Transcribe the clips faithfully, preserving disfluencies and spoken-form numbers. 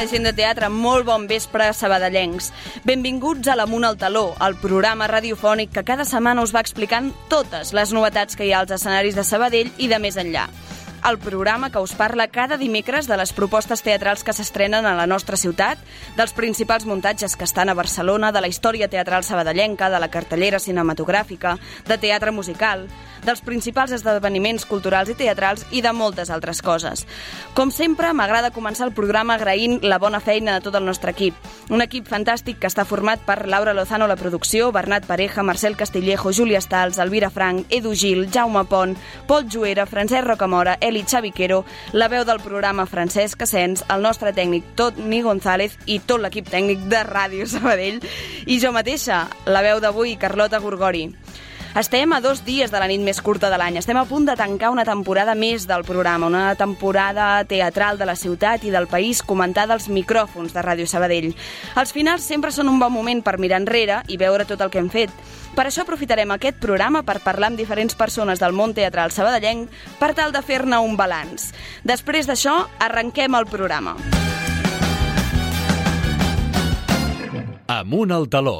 Hola, gent de teatre, molt bon vespre, sabadellencs. Benvinguts a l'Amunt al Taló, el programa radiofònic que cada setmana us va explicant totes les novetats que hi ha als escenaris de Sabadell i de més enllà. El programa que us parla cada dimecres de les propostes teatrals que s'estrenen a la nostra ciutat, dels principals muntatges que estan a Barcelona, de la història teatral sabadellenca, de la cartellera cinematogràfica, de teatre musical, dels principals esdeveniments culturals i teatrals i de moltes altres coses. Com sempre, m'agrada començar el programa agraint la bona feina de tot el nostre equip. Un equip fantàstic que està format per Laura Lozano a la producció, Bernat Pareja, Marcel Castillejo, Júlia Stals, Elvira Frank, Edu Gil, Jaume Pont, Pol Juera, Francesc Rocamora, Eli Xaviquero, la veu del programa Francesc Asens, el nostre tècnic Toni González i tot l'equip tècnic de Ràdio Sabadell i jo mateixa, la veu d'avui, Carlota Gorgori. Estem a dos dies de la nit més curta de l'any. Estem a punt de tancar una temporada més del programa, una temporada teatral de la ciutat i del país comentada als micròfons de Ràdio Sabadell. Els finals sempre són un bon moment per mirar enrere i veure tot el que hem fet. Per això aprofitarem aquest programa per parlar amb diferents persones del món teatral sabadellenc per tal de fer-ne un balanç. Després d'això, arrenquem el programa. Amunt al taló.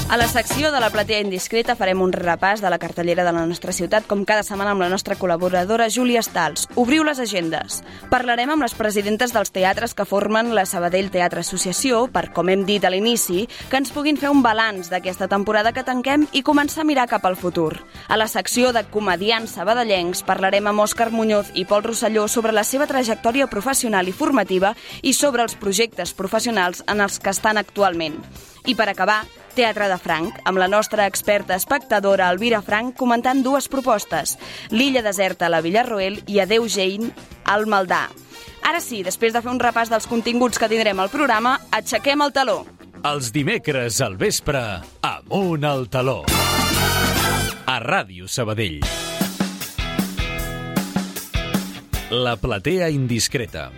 A la secció de la platea indiscreta farem un repàs de la cartellera de la nostra ciutat, com cada setmana amb la nostra col·laboradora Júlia Stals. Obriu les agendes. Parlarem amb les presidentes dels teatres que formen la Sabadell Teatre Associació per, com hem dit a l'inici, que ens puguin fer un balanç d'aquesta temporada que tanquem i començar a mirar cap al futur. A la secció de comediants sabadellencs parlarem amb Òscar Muñoz i Pol Rosselló sobre la seva trajectòria professional i formativa i sobre els projectes professionals en els que estan actualment. I per acabar, Teatre de Franc, amb la nostra experta espectadora Elvira Frank comentant dues propostes, L'illa deserta a la Villarroel i Adeu Jane al Maldà. Ara sí, després de fer un repàs dels continguts que tindrem al programa, aixequem el taló. Els dimecres al vespre, Amunt al taló. A Ràdio Sabadell. La platea indiscreta.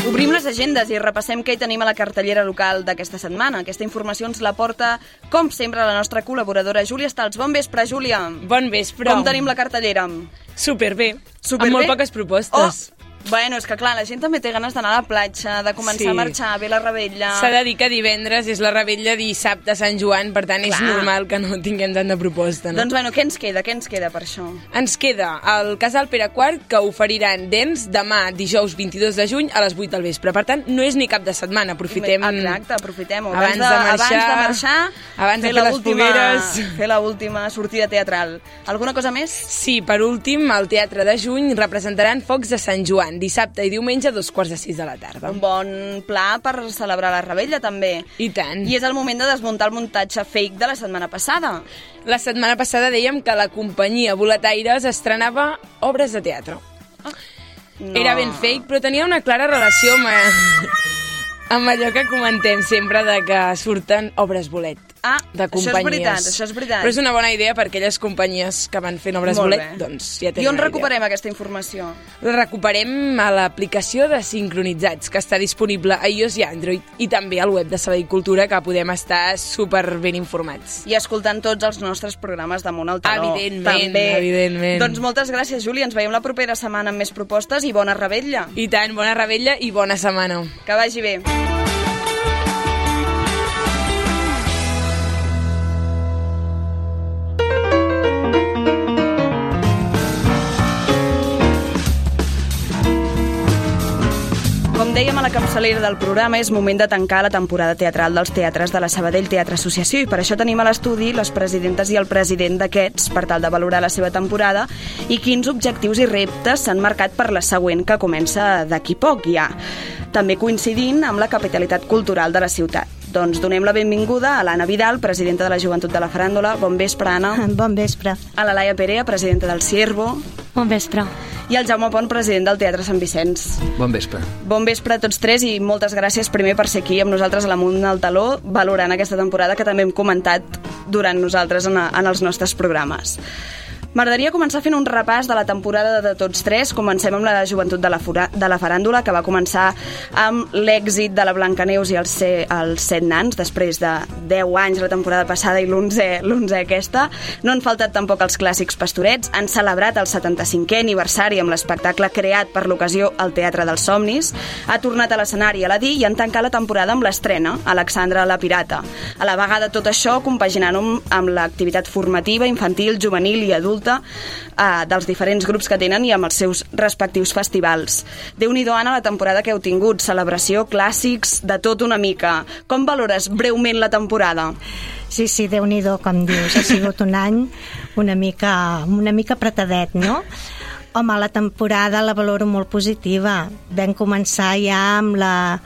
Obrim les agendes i repassem què hi tenim a la cartellera local d'aquesta setmana. Aquesta informació ens la porta, com sempre, la nostra col·laboradora Júlia Stals. Bon vespre, Júlia. Bon vespre. Com tenim la cartellera? Superbé. Superbé? Amb molt poques propostes. Oh! Bueno, és que clar, la gent també té ganes d'anar a la platja, de començar Sí. a marxar, a ver la rebella. S'ha de dir que divendres és la rebella dissabte a Sant Joan, per tant és Clar. normal que no tinguem tant de proposta, no? Doncs bueno, què ens queda? Què ens queda per això? Ens queda el Casal Pere quart, que oferiran dents demà, dijous vint-i-dos de juny, a les vuit del vespre. Per tant, no és ni cap de setmana, aprofitem... Exacte, aprofitem-ho. Abans de abans marxar, de marxar, abans de fer fer les l'última- fogueres. fer l'última sortida teatral. Alguna cosa més? Sí, per últim, al Teatre de Juny representaran Focs de Sant Joan, dissabte i diumenge a dos quarts de sis de la tarda. Un bon pla per celebrar la rebella, també. I tant. I és el moment de desmuntar el muntatge fake de la setmana passada. La setmana passada dèiem que la companyia Boletaires estrenava obres de teatre. No. Era ben fake, però tenia una clara relació amb, amb allò que comentem sempre de que surten obres bolet. Ah, de això és companyies. veritat, això és veritat. Però és una bona idea per aquelles companyies que van fent obres Molt bolet, bé. doncs ja tenen I on una idea. recuperem aquesta informació? La recuperem a l'aplicació de Sincronitzats, que està disponible a iOS i Android, i també al web de Sabadell Cultura, que podem estar super ben informats. I escoltant tots els nostres programes d'Amunt al Taló. Evidentment, també. evidentment. Doncs moltes gràcies, Júlia. Ens veiem la propera setmana amb més propostes i bona rebella. I tant, bona rebella i bona setmana. Que vagi bé. Com dèiem a la capçalera del programa, és moment de tancar la temporada teatral dels teatres de la Sabadell Teatre Associació i per això tenim a l'estudi les presidentes i el president d'aquests per tal de valorar la seva temporada i quins objectius i reptes s'han marcat per la següent, que comença d'aquí poc ja. També coincidint amb la capitalitat cultural de la ciutat. Doncs donem la benvinguda a l'Anna Vidal, presidenta de la Joventut de la Faràndula. Bon vespre, Anna. Bon vespre. A la Laia Perea, presidenta del Ciervo. Bon vespre. I el Jaume Pont, president del Teatre Sant Vicenç. Bon vespre. Bon vespre a tots tres i moltes gràcies primer per ser aquí amb nosaltres a l'Amunt al Taló, valorant aquesta temporada que també hem comentat durant nosaltres en, a, en els nostres programes. M'agradaria començar fent un repàs de la temporada de tots tres. Comencem amb la joventut de la, fura, de la faràndula, que va començar amb l'èxit de la Blancaneus i els, ce, els set nans, després de deu anys la temporada passada i l'onze aquesta. No han faltat tampoc els clàssics Pastorets. Han celebrat el setanta-cinquè aniversari amb l'espectacle creat per l'ocasió al Teatre dels Somnis. Ha tornat a l'escenari a Aladí i han tancat la temporada amb l'estrena, Alexandra la Pirata. A la vegada tot això compaginant amb l'activitat formativa, infantil, juvenil i adulta eh, dels diferents grups que tenen i amb els seus respectius festivals. Déu-n'hi-do, Anna, la temporada que heu tingut, celebració, clàssics, de tot una mica. Com valores breument la temporada? Sí, sí, Déu-n'hi-do, com dius. Ha sigut un any una mica, una mica apretadet, no? Home, la temporada la valoro molt positiva. Vam començar ja amb la,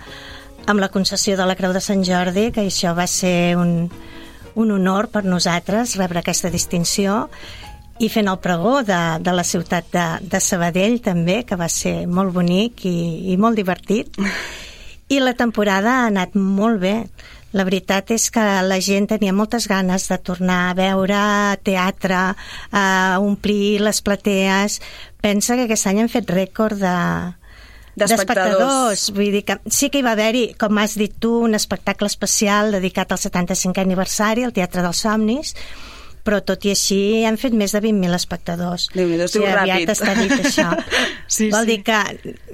amb la concessió de la Creu de Sant Jordi, que això va ser un, un honor per nosaltres, rebre aquesta distinció, i fent el pregó de, de la ciutat de, de Sabadell també, que va ser molt bonic i, i molt divertit. I la temporada ha anat molt bé. La veritat és que la gent tenia moltes ganes de tornar a veure teatre, a omplir les platees. Pensa que aquest any han fet rècord de, d'espectadors. Vull dir que sí que hi va haver-hi, com has dit tu, un espectacle especial dedicat al setanta-cinquè aniversari al Teatre dels Somnis, però tot i així han fet més de vint mil espectadors. Déu-n'hi-do, es diu sí, ràpid. Aviat està dit això. Sí, Vol sí. dir que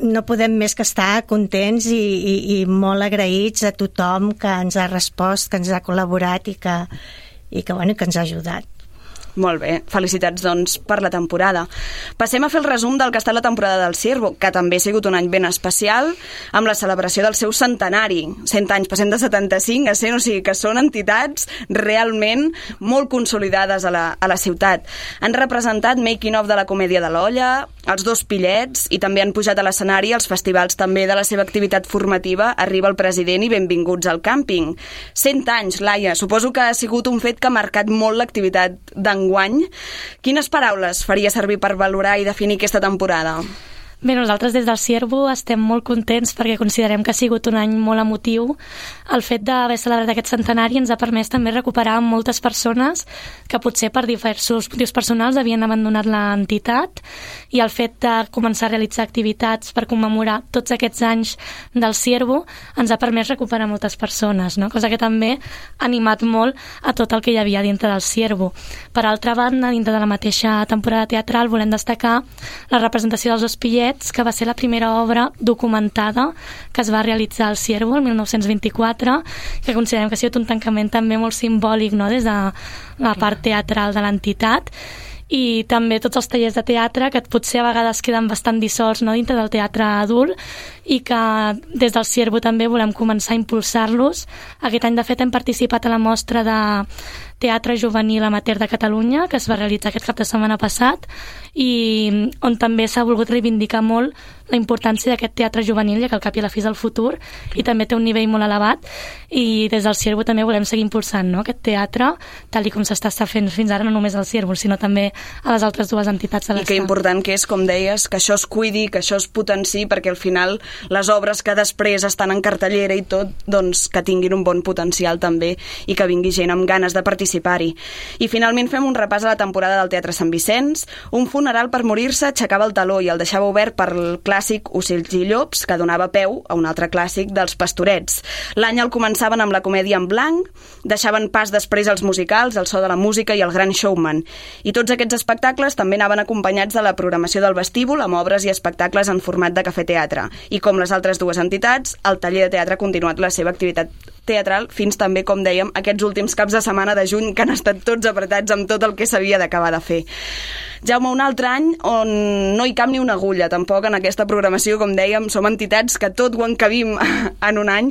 no podem més que estar contents i, i, i molt agraïts a tothom que ens ha respost, que ens ha col·laborat i que, i que, bueno, que ens ha ajudat. Molt bé, felicitats doncs per la temporada. Passem a fer el resum del que ha estat la temporada del Ciervo, que també ha sigut un any ben especial, amb la celebració del seu centenari. cent anys, passem de setanta-cinc a cent, o sigui que són entitats realment molt consolidades a la, a la ciutat. Han representat Making of de la Comèdia de l'Olla, els dos Pillets, i també han pujat a l'escenari els festivals també de la seva activitat formativa Arriba el President i Benvinguts al Càmping. cent anys, Laia, suposo que ha sigut un fet que ha marcat molt l'activitat d'enguany. Quines paraules faria servir per valorar i definir aquesta temporada? Bé, nosaltres des del Ciervo estem molt contents perquè considerem que ha sigut un any molt emotiu. El fet d'haver celebrat aquest centenari ens ha permès també recuperar moltes persones que potser per diversos motius personals havien abandonat l'entitat, i el fet de començar a realitzar activitats per commemorar tots aquests anys del Ciervo ens ha permès recuperar moltes persones, no? Cosa que també ha animat molt a tot el que hi havia dintre del Ciervo. Per altra banda, dintre de la mateixa temporada teatral volem destacar la representació dels dos Pillets, que va ser la primera obra documentada que es va realitzar al Ciervo el mil nou-cents vint-i-quatre, que considerem que ha sigut un tancament també molt simbòlic, no?, des de la part teatral de l'entitat. I també tots els tallers de teatre que potser a vegades queden bastant dissolts, no?, dintre del teatre adult, i que des del Ciervo també volem començar a impulsar-los. Aquest any, de fet, hem participat a la mostra de Teatre Juvenil Amateur de Catalunya, que es va realitzar aquest cap de setmana passat, i on també s'ha volgut reivindicar molt la importància d'aquest teatre juvenil, ja que al cap i a la fi és el futur, i també té un nivell molt elevat, i des del Ciervo també volem seguir impulsant, no?, aquest teatre, tal i com s'està fent fins ara, no només al Ciervo, sinó també a les altres dues entitats de l'estat. I que important que és, com deies, que això es cuidi, que això es potenciï, perquè al final les obres que després estan en cartellera i tot, doncs que tinguin un bon potencial també i que vingui gent amb ganes de participar-hi. I finalment fem un repàs a la temporada del Teatre Sant Vicenç. Un funeral per morir-se aixecava el taló i el deixava obert per el clàssic Ocells i Llops, que donava peu a un altre clàssic dels Pastorets. L'any el començaven amb la comèdia en blanc, deixaven pas després als musicals, el so de la música i el gran showman. I tots aquests espectacles també anaven acompanyats de la programació del vestíbul amb obres i espectacles en format de cafè-teatre. I com les altres dues entitats, el taller de teatre ha continuat la seva activitat teatral fins també, com dèiem, aquests últims caps de setmana de juny, que han estat tots apretats amb tot el que s'havia d'acabar de fer. Jaume, un altre any on no hi cap ni una agulla, tampoc en aquesta programació, com dèiem, som entitats que tot ho encabim en un any.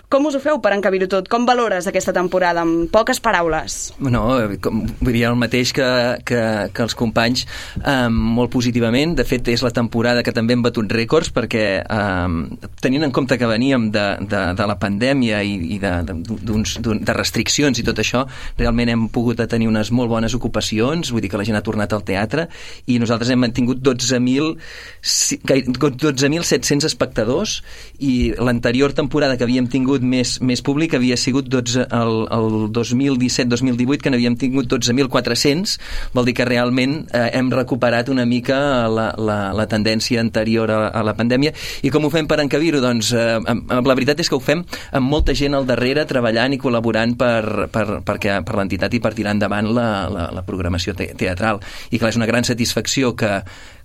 Com us ho feu per encabir-ho tot? Com valores aquesta temporada? Amb poques paraules. No, com, vull dir el mateix que, que, que els companys, eh, molt positivament. De fet, és la temporada que també hem batut rècords, perquè eh, tenint en compte que veníem de, de, de la pandèmia i, i de, d'uns, de restriccions i tot això, realment hem pogut tenir unes molt bones ocupacions, vull dir que la gent ha tornat al teatre, i nosaltres hem mantingut dotze mil set-cents espectadors, i l'anterior temporada que havíem tingut més, més públic havia sigut dotze, el, el dos mil disset dos mil divuit, que n'havíem tingut dotze mil quatre-cents, vol dir que realment eh, hem recuperat una mica la, la, la tendència anterior a, a la pandèmia. I com ho fem per encabir-ho? Doncs eh, la veritat és que ho fem amb molta gent al darrere treballant i col·laborant per, per, per, per l'entitat i per tirar endavant la, la, la programació te teatral. I clar, és una gran satisfacció que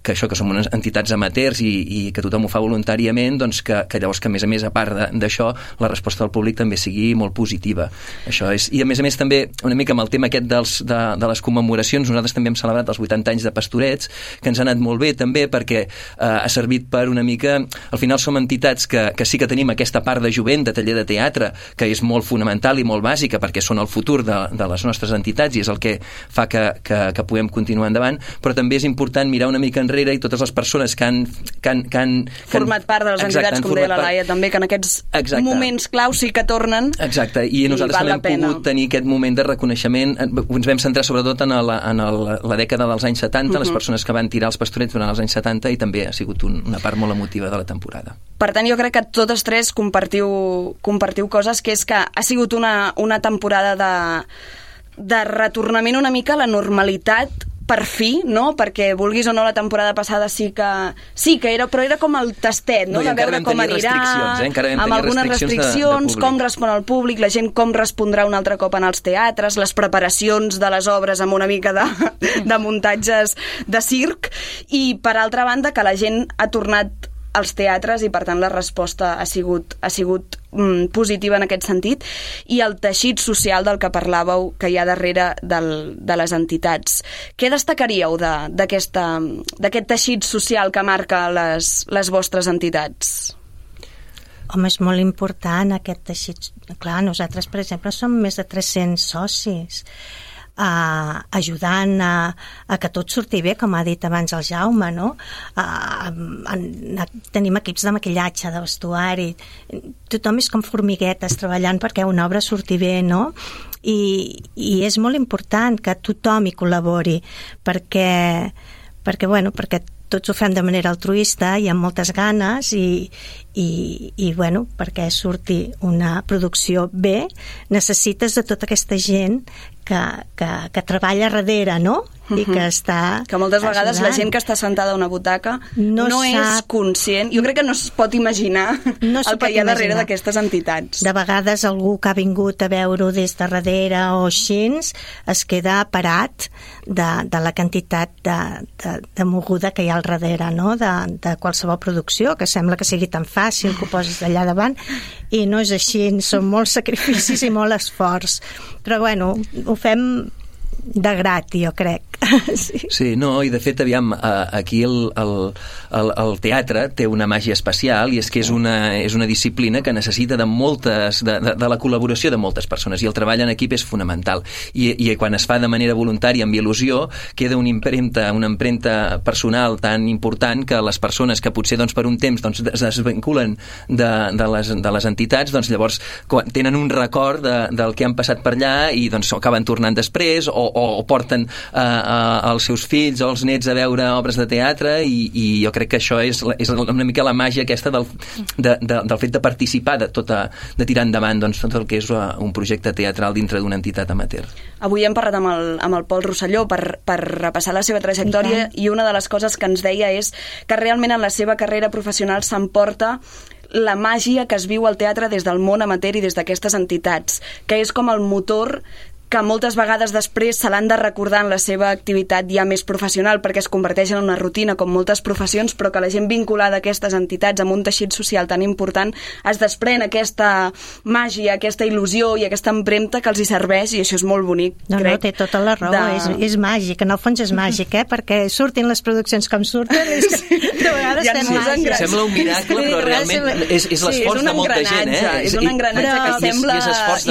que això, que som unes entitats amateurs i, i que tothom ho fa voluntàriament, doncs que, que llavors que a més a més, a part d'això, la resposta del públic també sigui molt positiva. Això és, i a més a més també, una mica amb el tema aquest dels, de, de les commemoracions, nosaltres també hem celebrat els vuitanta anys de Pastorets, que ens ha anat molt bé també perquè eh, ha servit per una mica, al final som entitats que, que sí que tenim aquesta part de jovent, de taller de teatre, que és molt fonamental i molt bàsica perquè són el futur de, de les nostres entitats i és el que fa que, que, que puguem continuar endavant, però també és important mirar una mica enrere i totes les persones que han... Que han, que han format part de les exacte, entitats, com deia la Laia, també, que en aquests exacte. moments claus sí que tornen. Exacte, i nosaltres també hem pogut tenir aquest moment de reconeixement. Ens vam centrar sobretot en la, en el, la dècada dels anys setanta, uh -huh. les persones que van tirar els Pastorets durant els anys setanta, i també ha sigut un, una part molt emotiva de la temporada. Per tant, jo crec que totes tres compartiu, compartiu coses, que és que ha sigut una, una temporada de, de retornament una mica a la normalitat, per fi, no? Perquè vulguis o no, la temporada passada sí que sí que era, però era com el tastet, no? no de veure com anirà, eh? amb algunes restriccions, de, de com respon el públic, la gent com respondrà un altre cop en els teatres, les preparacions de les obres amb una mica de, de muntatges de circ, i per altra banda que la gent ha tornat als teatres i per tant la resposta ha sigut, ha sigut mm, positiva en aquest sentit, i el teixit social del que parlàveu que hi ha darrere del, de les entitats. Què destacaríeu d'aquest de, teixit social que marca les, les vostres entitats? Home, és molt important aquest teixit. Clar, nosaltres, per exemple, som més de tres-cents socis, Uh, ajudant a, a que tot surti bé, com ha dit abans el Jaume, no? Uh, uh, tenim equips de maquillatge, de vestuari, tothom és com formiguetes treballant perquè una obra surti bé, no? I, i és molt important que tothom hi col·labori perquè, perquè, bueno, perquè tots ho fem de manera altruista i amb moltes ganes i, i, i bueno, perquè surti una producció bé necessites de tota aquesta gent que, que, que treballa darrere, no? I que està que moltes vegades ajudant. La gent que està sentada a una butaca no, no és conscient, jo crec que no es pot imaginar no el que hi ha darrere d'aquestes entitats. De vegades algú que ha vingut a veure-ho des de darrere o així es queda parat de, de la quantitat de, de, de moguda que hi ha al darrere, no? de, de qualsevol producció, que sembla que sigui tan fàcil que ho posis allà davant, i no és així, són molts sacrificis i molt esforç, però bueno, ho fem de grat, jo crec. Sí. Sí, no, i de fet, aviam, aquí el, el, el, el teatre té una màgia especial i és que és una, és una disciplina que necessita de moltes, de, de, de la col·laboració de moltes persones, i el treball en equip és fonamental. I, i quan es fa de manera voluntària, amb il·lusió, queda una impremta, una empremta personal tan important que les persones que potser doncs, per un temps doncs, es desvinculen de, de, les, de les entitats, doncs llavors quan tenen un record de, del que han passat per allà i doncs acaben tornant després o, o, o porten eh, els seus fills o els nets a veure obres de teatre i, i jo crec que això és, és una mica la màgia aquesta del, de, de, del fet de participar, de, tota, de tirar endavant doncs, tot el que és un projecte teatral dintre d'una entitat amateur. Avui hem parlat amb el, amb el Pol Rosselló per, per repassar la seva trajectòria i, i una de les coses que ens deia és que realment en la seva carrera professional s'emporta la màgia que es viu al teatre des del món amateur i des d'aquestes entitats, que és com el motor que moltes vegades després se l'han de recordar en la seva activitat ja més professional perquè es converteix en una rutina com moltes professions, però que la gent vinculada a aquestes entitats amb un teixit social tan important es desprèn aquesta màgia, aquesta il·lusió i aquesta empremta que els hi serveix i això és molt bonic. No, crec, no, té tota la raó, de... és, és màgic, en el fons és màgic, eh? Perquè surtin les produccions com surten, és que de vegades fem màgia. Sembla un miracle, però realment és, és l'esforç sí, de molta gent, eh? És un engranatge que sembla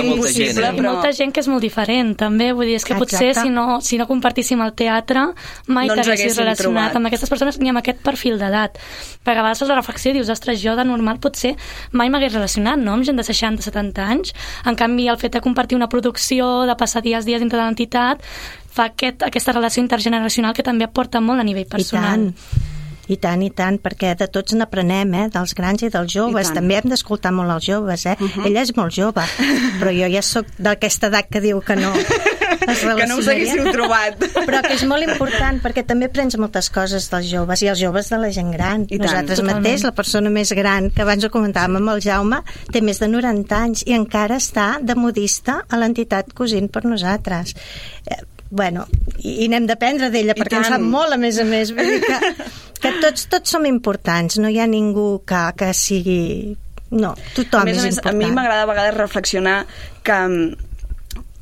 impossible, però molta gent que és molt diferent. diferent, també. Vull dir, és que potser si no, si no compartíssim el teatre mai no t'haguessis relacionat trobat. amb aquestes persones ni amb aquest perfil d'edat. Perquè a vegades fas la reflexió i dius, ostres, jo de normal potser mai m'hagués relacionat, no?, amb gent de seixanta setanta anys. En canvi, el fet de compartir una producció, de passar dies dies dintre de l'entitat, fa aquest, aquesta relació intergeneracional que també aporta molt a nivell personal. I tant. I tant, i tant, perquè de tots n'aprenem, eh? Dels grans i dels joves. I també hem d'escoltar molt els joves, eh? Uh -huh. Ella és molt jove, però jo ja sóc d'aquesta edat que diu que no es que no us haguéssiu trobat. Però que és molt important, perquè també prens moltes coses dels joves, i els joves de la gent gran. I Nosaltres tant, mateix, la persona més gran, que abans ho comentàvem amb el Jaume, té més de noranta anys i encara està de modista a l'entitat cosint per nosaltres. Eh, bueno, i, i n'hem d'aprendre d'ella, I perquè tant. en sap molt, a més a més. Vull dir que, que tots, tots som importants, no hi ha ningú que, que sigui... No, tothom a més, és a més, important. A mi m'agrada a vegades reflexionar que...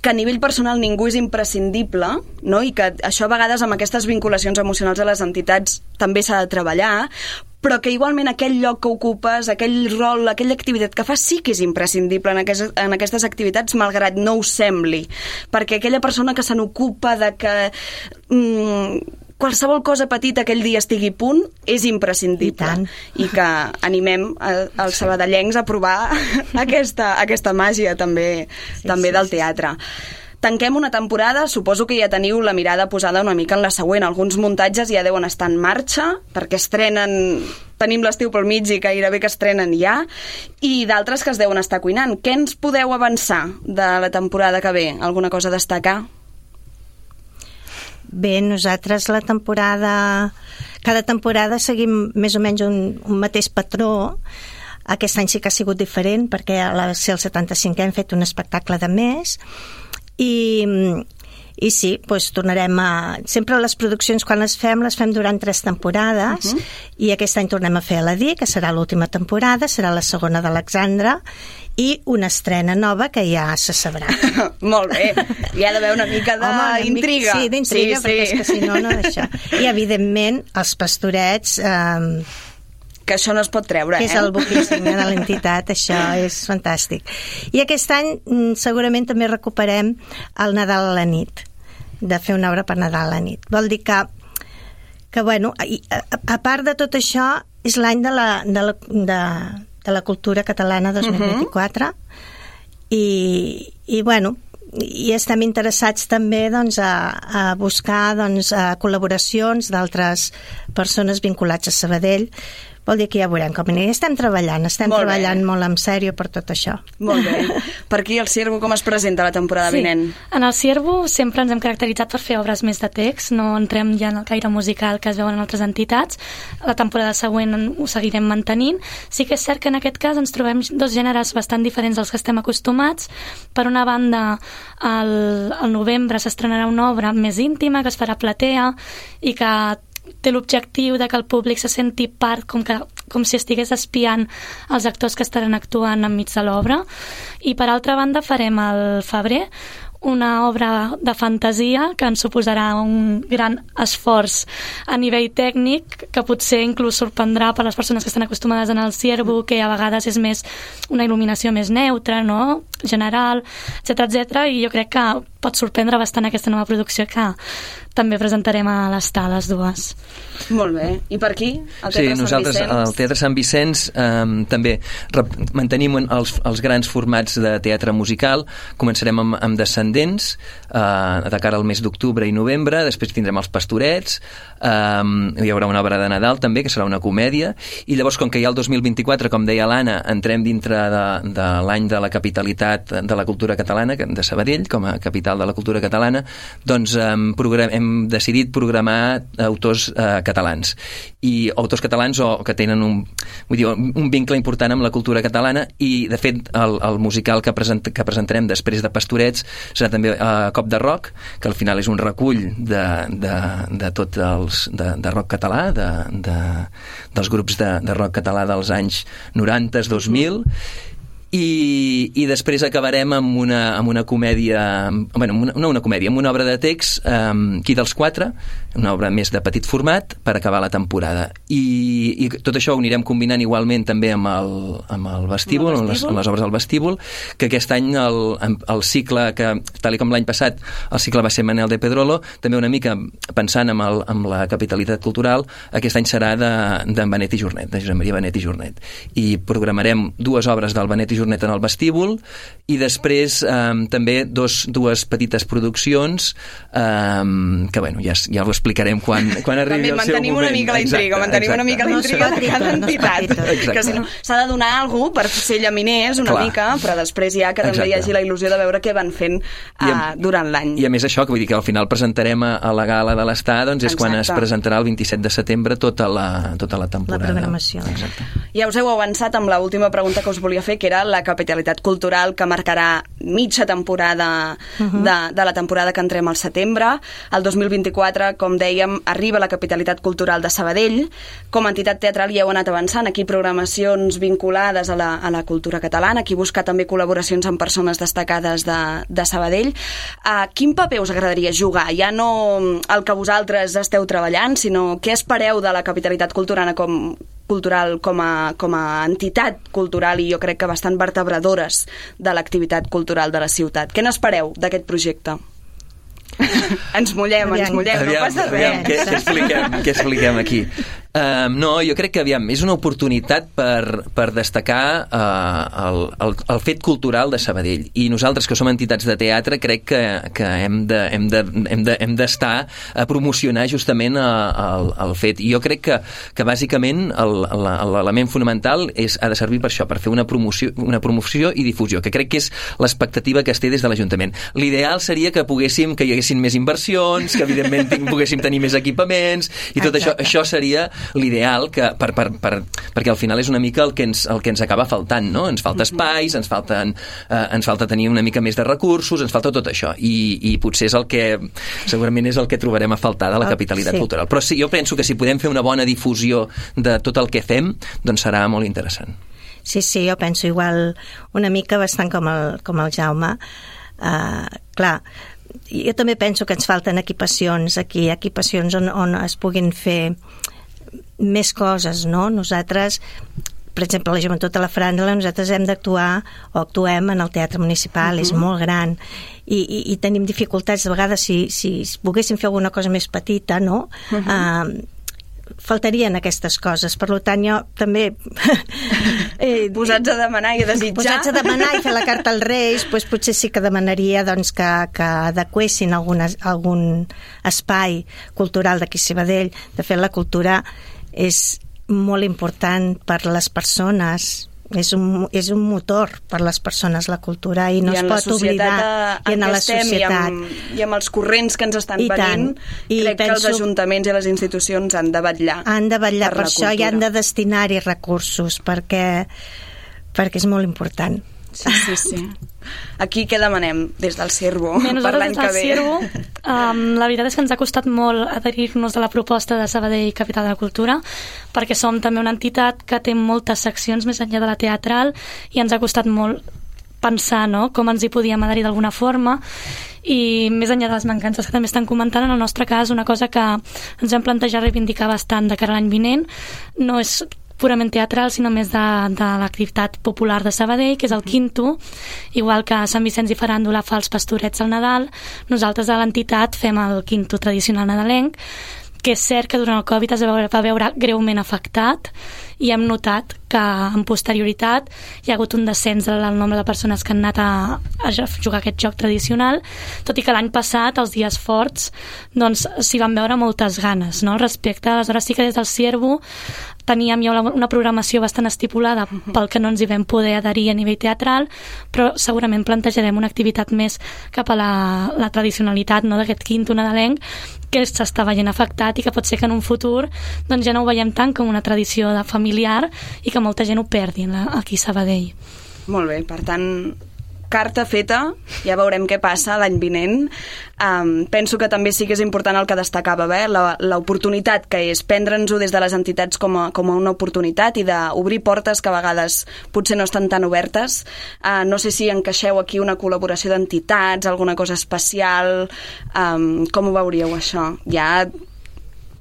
que a nivell personal ningú és imprescindible, no? I que això a vegades amb aquestes vinculacions emocionals a les entitats també s'ha de treballar, però que igualment aquell lloc que ocupes, aquell rol, aquella activitat que fas sí que és imprescindible en, aquest, en aquestes activitats, malgrat no ho sembli, perquè aquella persona que se n'ocupa de que mm, qualsevol cosa petita aquell dia estigui a punt és imprescindible. I, I que animem els sabadellencs a provar aquesta, aquesta màgia també, sí, també sí, del teatre. Tanquem una temporada, suposo que ja teniu la mirada posada una mica en la següent. Alguns muntatges ja deuen estar en marxa, perquè estrenen... Tenim l'estiu pel mig i gairebé que estrenen ja, i d'altres que es deuen estar cuinant. Què ens podeu avançar de la temporada que ve? Alguna cosa a destacar? Bé, nosaltres la temporada... Cada temporada seguim més o menys un, un mateix patró. Aquest any sí que ha sigut diferent, perquè a la, ser el setanta-cinquè hem fet un espectacle de més, i, i sí, doncs tornarem a... Sempre les produccions, quan les fem, les fem durant tres temporades, uh-huh. i aquest any tornem a fer Aladí, que serà l'última temporada, serà la segona d'Alexandra, i una estrena nova que ja se sabrà. Molt bé, hi ha d'haver una mica d'intriga. Sí, d'intriga, sí, perquè sí. és que si no, no d'això. I evidentment els Pastorets... Eh, que això no es pot treure, que eh? és el buc insígnia de l'entitat, això és fantàstic. I aquest any segurament també recuperem el Nadal a la nit, de fer una obra per Nadal a la nit. Vol dir que, que bueno, a, a part de tot això, és l'any de la, de, la, de, de la cultura catalana dos mil vint-i-quatre, uh-huh. i, i bueno, i estem interessats també doncs, a, a buscar doncs, a col·laboracions d'altres persones vinculats a Sabadell. Vol dir que ja veurem com anirà. Estem treballant, estem molt treballant bé. molt en sèrio per tot això. Molt bé. Per aquí el Ciervo com es presenta la temporada sí. vinent? En el Ciervo sempre ens hem caracteritzat per fer obres més de text, no entrem ja en el caire musical que es veuen en altres entitats. La temporada següent ho seguirem mantenint. Sí que és cert que en aquest cas ens trobem dos gèneres bastant diferents dels que estem acostumats. Per una banda, al, al novembre s'estrenarà una obra més íntima que es farà platea i que té l'objectiu de que el públic se senti part, com, que, com si estigués espiant els actors que estaran actuant enmig de l'obra. I per altra banda farem al febrer una obra de fantasia que ens suposarà un gran esforç a nivell tècnic, que potser inclús sorprendrà per les persones que estan acostumades en el Ciervo, que a vegades és més una il·luminació més neutra, no? General, etcètera, etcètera, i jo crec que pot sorprendre bastant aquesta nova producció que també presentarem a l'Estar, les dues. Molt bé. I per aquí? El Teatre sí, Sant nosaltres Vicenç? al Teatre Sant Vicenç eh, també rep, mantenim els, els grans formats de teatre musical. Començarem amb, amb Descendents eh, de cara al mes d'octubre i novembre, després tindrem els Pastorets, eh, hi haurà una obra de Nadal també, que serà una comèdia, i llavors com que hi ha el dos mil vint-i-quatre, com deia l'Anna, entrem dintre de, de l'any de la capitalitat de la cultura catalana, de Sabadell, com a capital de la cultura catalana, doncs eh, programem hem decidit programar autors eh, catalans i autors catalans o que tenen un, vull dir, un vincle important amb la cultura catalana, i de fet el, el musical que, present, que presentarem després de Pastorets serà també eh, Cop de Rock, que al final és un recull de, de, de tot els de, de rock català, de, de, dels grups de, de rock català dels anys noranta, dos mil, I, i després acabarem amb una, amb una comèdia, bueno, una, no una comèdia, amb una obra de text, um, Qui dels quatre, una obra més de petit format per acabar la temporada. I, i tot això ho anirem combinant igualment també amb el, amb el vestíbul, amb, les, amb les obres del vestíbul, que aquest any el, el cicle, que tal com l'any passat el cicle va ser Manel de Pedrolo, també una mica pensant amb, el, amb la capitalitat cultural, aquest any serà de, de Benet i Jornet, de Josep Maria Benet i Jornet. I programarem dues obres del Benet i Jornet en el vestíbul i després eh, també dos, dues petites produccions eh, que bueno, ja, ja ho explicarem quan, quan arribi el seu moment. Mantenim una mica la intriga, mantenim exacte. una mica la intriga no de cada entitat, no que si no s'ha de donar alguna cosa per ser llaminers una Clar. mica, però després ja que també exacte. hi hagi la il·lusió de veure què van fent uh, amb, durant l'any. I a més això, que vull dir que al final presentarem a, a la gala de l'Estar, doncs és exacte. quan es presentarà el vint-i-set de setembre tota la, tota la temporada. La programació. Exacte. Ja us heu avançat amb l'última pregunta que us volia fer, que era la capitalitat cultural que marcarà mitja temporada uh -huh. de, de la temporada que entrem al setembre. El dos mil vint-i-quatre, com dèiem, arriba la capitalitat cultural de Sabadell. Com a entitat teatral ja heu anat avançant, aquí programacions vinculades a la, a la cultura catalana, aquí buscar també col·laboracions amb persones destacades de, de Sabadell. Uh, quin paper us agradaria jugar? Ja no el que vosaltres esteu treballant, sinó què espereu de la capitalitat culturana com cultural com a, com a entitat cultural i jo crec que bastant vertebradores de l'activitat cultural de la ciutat. Què n'espereu d'aquest projecte? Ens mullem, aviam, ens mullem, aviam, no passa res. Aviam, què, què, expliquem, què expliquem aquí? Um, no, jo crec que aviam, és una oportunitat per, per destacar uh, el, el, el fet cultural de Sabadell, i nosaltres que som entitats de teatre crec que, que hem de, hem de, hem de, hem d'estar a promocionar justament el, el fet, i jo crec que, que bàsicament l'element fonamental és, ha de servir per això, per fer una promoció, una promoció i difusió, que crec que és l'expectativa que es té des de l'Ajuntament. L'ideal seria que poguéssim, que hi haguessin més inversions, que evidentment ting, poguéssim tenir més equipaments i tot això, això seria l'ideal que, per, per, per, perquè al final és una mica el que ens, el que ens acaba faltant, no? Ens falta espais, ens, falten, eh, ens falta tenir una mica més de recursos, ens falta tot això, i, i potser és el que segurament és el que trobarem a faltar de la capitalitat sí. cultural. Però sí, jo penso que si podem fer una bona difusió de tot el que fem, doncs serà molt interessant. Sí, sí, jo penso igual una mica bastant com el, com el Jaume. Uh, clar, jo també penso que ens falten equipacions aquí, equipacions on, on es puguin fer més coses, no? Nosaltres, per exemple, la Joventut a la Franja, nosaltres hem d'actuar o actuem en el Teatre Municipal, uh-huh. és molt gran, i, i, i tenim dificultats, de vegades, si, si poguéssim fer alguna cosa més petita, no? Uh-huh. Uh, faltarien aquestes coses, per tant jo també eh, posats a demanar i a desitjar posats a demanar i fer la carta als Reis, doncs potser sí que demanaria doncs, que, que adequessin algun, algun espai cultural d'aquí a Sabadell. De fet, la cultura és molt important per les persones, és un, és un motor per les persones, la cultura, i no I es pot oblidar. I en la societat i amb, i amb els corrents que ens estan I venint, I crec penso, que els ajuntaments i les institucions han de vetllar. Han de vetllar per, per això cultura. I han de destinar-hi recursos, perquè, perquè és molt important. Sí, sí, sí. Aquí què demanem des del Ciervo per l'any que ve? Ciervo, um, la veritat és que ens ha costat molt adherir-nos a la proposta de Sabadell Capital de la Cultura, perquè som també una entitat que té moltes seccions més enllà de la teatral, i ens ha costat molt pensar, no?, com ens hi podíem adherir d'alguna forma, i més enllà de les mancances que també estan comentant, en el nostre cas una cosa que ens vam plantejar reivindicar bastant de cara a l'any vinent no és purament teatral, sinó més de, de l'activitat popular de Sabadell, que és el Quinto, igual que Sant Vicenç i Faràndula fa els pastorets al Nadal, nosaltres a l'entitat fem el Quinto tradicional nadalenc, que és cert que durant el Covid es va veure, va veure greument afectat, i hem notat que en posterioritat hi ha hagut un descens del nombre de persones que han anat a, a jugar aquest joc tradicional, tot i que l'any passat, els dies forts, doncs s'hi van veure moltes ganes, no?, respecte. Aleshores sí que des del Ciervo teníem ja una programació bastant estipulada pel que no ens hi vam poder adherir a nivell teatral, però segurament plantejarem una activitat més cap a la, la tradicionalitat, no?, d'aquest Quinto nadalenc, que s'està veient afectat i que pot ser que en un futur doncs ja no ho veiem tant com una tradició de familiar i que molta gent ho perdi aquí a Sabadell. Molt bé, per tant, carta feta, ja veurem què passa l'any vinent. Um, penso que també sí que és important el que destacava, eh? l'oportunitat que és prendre'ns-ho des de les entitats com a, com a una oportunitat i d'obrir portes que a vegades potser no estan tan obertes. Uh, no sé si encaixeu aquí una col·laboració d'entitats, alguna cosa especial, um, com ho veuríeu això? Ja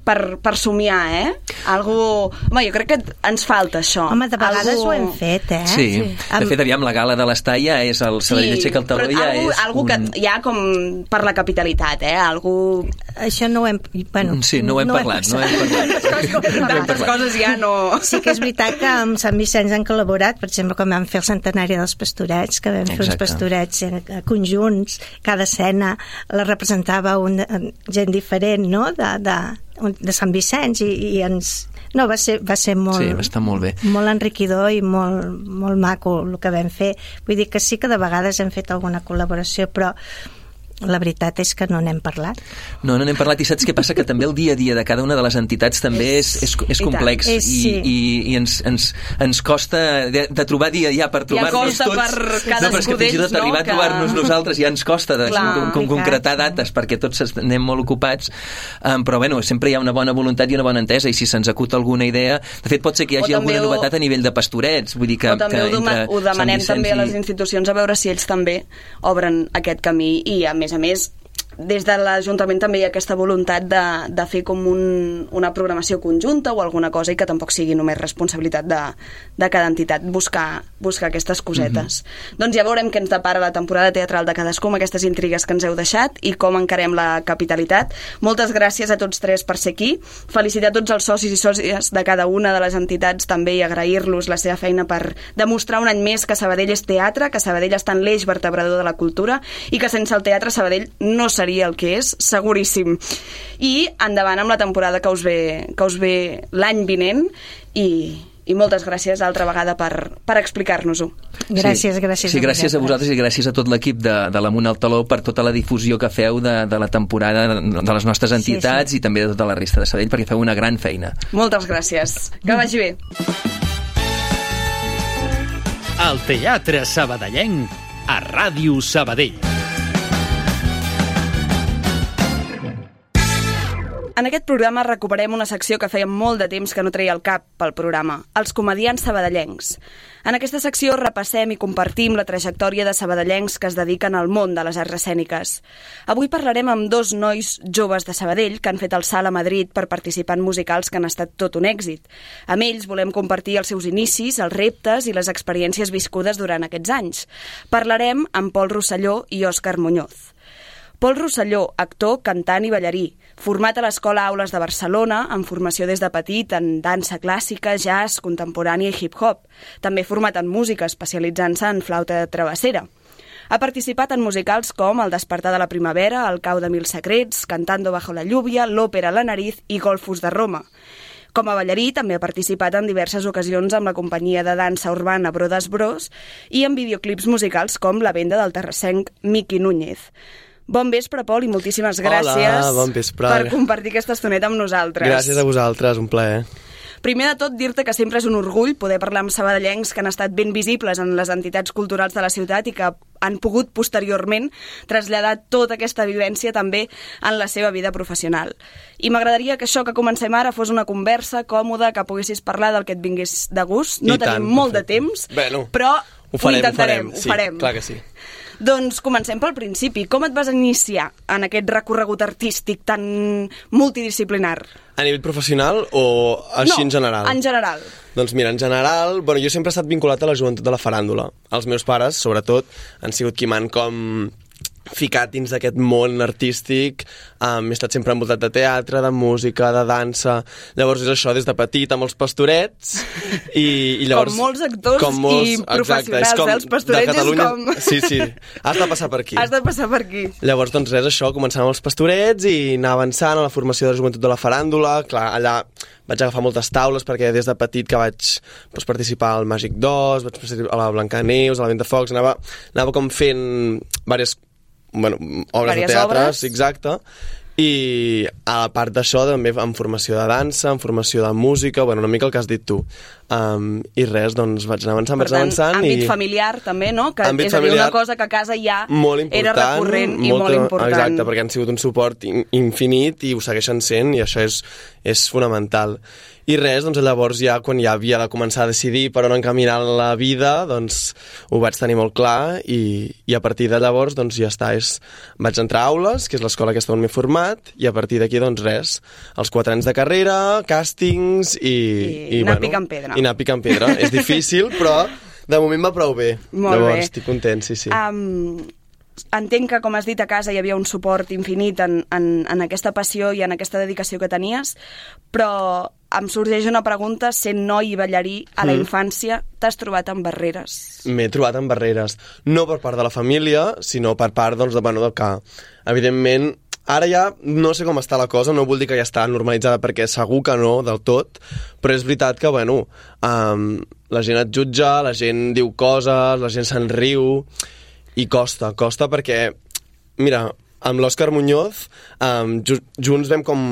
per, per somiar, eh? Algú... Home, jo crec que ens falta això. Home, de vegades algú... ho hem fet, eh? Sí, sí. De fet, aviam, la gala de l'Estalla és el Sabadell aixeca el taló, ja algú, és algú un... que hi ha com per la capitalitat, eh? Algú... Això no ho hem... Bueno, sí, no ho hem no parlat, no hem parlat. D'altres coses ja no... Sí que és veritat que amb Sant Vicenç han col·laborat, per exemple, com vam fer el centenari dels Pastorets, que vam fer Exacte. uns pastorets conjunts, cada escena la representava una gent diferent, no?, de, de, de Sant Vicenç, i, i ens... No, va ser, va ser molt, sí, va estar molt bé. Molt enriquidor i molt, molt maco el que vam fer. Vull dir que sí que de vegades hem fet alguna col·laboració, però la veritat és que no n'hem parlat. No, no n'hem parlat, i saps què passa? Que també el dia a dia de cada una de les entitats també és, és, és complex, és, i, sí. i, i ens, ens, ens costa de, de trobar dia ja per trobar-nos ja tots. Per no, però és que fins i tot no, arribar que... a trobar-nos nosaltres ja ens costa de Clar, com, com concretar dates, perquè tots anem molt ocupats, um, però bueno, sempre hi ha una bona voluntat i una bona entesa, i si se'ns acut alguna idea, de fet pot ser que hi hagi alguna ho... novetat a nivell de pastorets, vull dir que... O també que ho, entre ho demanem també a les institucions a veure si ells també obren aquest camí, i a més a més des de l'Ajuntament també hi ha aquesta voluntat de, de fer com un, una programació conjunta o alguna cosa, i que tampoc sigui només responsabilitat de, de cada entitat buscar, buscar aquestes cosetes. Mm-hmm. Doncs ja veurem què ens depara la temporada teatral de cadascú amb aquestes intrigues que ens heu deixat i com encarem la capitalitat. Moltes gràcies a tots tres per ser aquí. Felicitar tots els socis i sòcies de cada una de les entitats també, i agrair-los la seva feina per demostrar un any més que Sabadell és teatre, que Sabadell està en l'eix vertebrador de la cultura, i que sense el teatre Sabadell no seria el que és, seguríssim. I endavant amb la temporada que us ve, que us ve l'any vinent, i, i moltes gràcies altra vegada per, per explicar-nos-ho. Gràcies, gràcies. Sí, gràcies a vosaltres i gràcies a tot l'equip de, de l'Amunt al Taló per tota la difusió que feu de, de la temporada de les nostres entitats, sí, sí. i també de tota la resta de Sabadell, perquè feu una gran feina. Moltes gràcies. Que vagi bé. El Teatre Sabadellenc a Ràdio Sabadell. En aquest programa recuperem una secció que feia molt de temps que no treia el cap pel programa, els comediants sabadellencs. En aquesta secció repassem i compartim la trajectòria de sabadellencs que es dediquen al món de les arts escèniques. Avui parlarem amb dos nois joves de Sabadell que han fet el salt a Madrid per participar en musicals que han estat tot un èxit. Amb ells volem compartir els seus inicis, els reptes i les experiències viscudes durant aquests anys. Parlarem amb Pol Rosselló i Òscar Muñoz. Pol Rosselló, actor, cantant i ballarí, format a l'Escola Aules de Barcelona, amb formació des de petit en dansa clàssica, jazz, contemporània i hip-hop. També format en música, especialitzant-se en flauta travessera. Ha participat en musicals com El despertar de la primavera, El cau de mil secrets, Cantando bajo la lluvia, l'òpera La nariz i Golfos de Roma. Com a ballarí també ha participat en diverses ocasions amb la companyia de dansa urbana Brodes Bros i en videoclips musicals com La venda del terrassenc Miqui Núñez. Bon vespre, Pol, i moltíssimes gràcies Hola, bon vespre. per compartir aquesta estoneta amb nosaltres. Gràcies a vosaltres, un plaer. Primer de tot, dir-te que sempre és un orgull poder parlar amb sabadellencs que han estat ben visibles en les entitats culturals de la ciutat i que han pogut posteriorment traslladar tota aquesta vivència també en la seva vida professional. I m'agradaria que això que comencem ara fos una conversa còmoda, que poguessis parlar del que et vingués de gust. No I tenim tant, molt perfecte. de temps, bueno, però ho, farem, ho intentarem, ho farem. ho sí, farem. Clar que sí. Doncs comencem pel principi. Com et vas iniciar en aquest recorregut artístic tan multidisciplinar? A nivell professional o així no, en general? en general. Doncs mira, en general, bueno, jo sempre he estat vinculat a la joventut de la faràndula. Els meus pares, sobretot, han sigut qui m'han com ficat dins d'aquest món artístic. Um, he estat sempre envoltat de teatre, de música, de dansa. Llavors és això, des de petit amb els pastorets. I, i llavors, com molts actors com molts, i professionals, exacte, com, eh? Els pastorets és com... Sí, sí, has de passar per aquí. Has de passar per aquí. Llavors, doncs res, això, començant amb els pastorets i anar avançant a la formació de la joventut de la faràndula. Clar, allà vaig agafar moltes taules perquè des de petit que vaig doncs, participar al Màgic dos, vaig participar a la Blancaneus, a la Ventafocs, anava, anava com fent diverses bueno, obres Vàries de teatre, obres. exacte, i a part d'això també en formació de dansa, en formació de música, bueno, una mica el que has dit tu. Um, I res, doncs vaig anar avançant, per vaig anar avançant. àmbit i... familiar també, no? Que àmbit és a dir, familiar, una cosa que a casa ja molt era recurrent i molt, molt important. Exacte, perquè han sigut un suport in, infinit i ho segueixen sent, i això és, és fonamental. I res, doncs llavors ja quan ja havia de començar a decidir per on encaminar la vida, doncs ho vaig tenir molt clar i, i a partir de llavors doncs ja està, és, vaig entrar a Aules, que és l'escola aquesta on m'he format, i a partir d'aquí doncs res, els quatre anys de carrera, càstings i... I, i anar bueno, picant pedra. I anar picant pedra. És difícil, però de moment va prou bé. Molt llavors, bé. estic content, sí, sí. Um, entenc que, com has dit, a casa hi havia un suport infinit en, en, en aquesta passió i en aquesta dedicació que tenies, però em sorgeix una pregunta, sent noi i ballarí a la mm. infància, t'has trobat amb barreres? M'he trobat amb barreres, no per part de la família, sinó per part doncs, de, bueno, del que, evidentment, ara ja no sé com està la cosa, no vull dir que ja està normalitzada, perquè segur que no, del tot, però és veritat que, bueno, um, la gent et jutja, la gent diu coses, la gent se'n riu, i costa, costa perquè, mira, amb l'Òscar Muñoz, um, ju junts vam com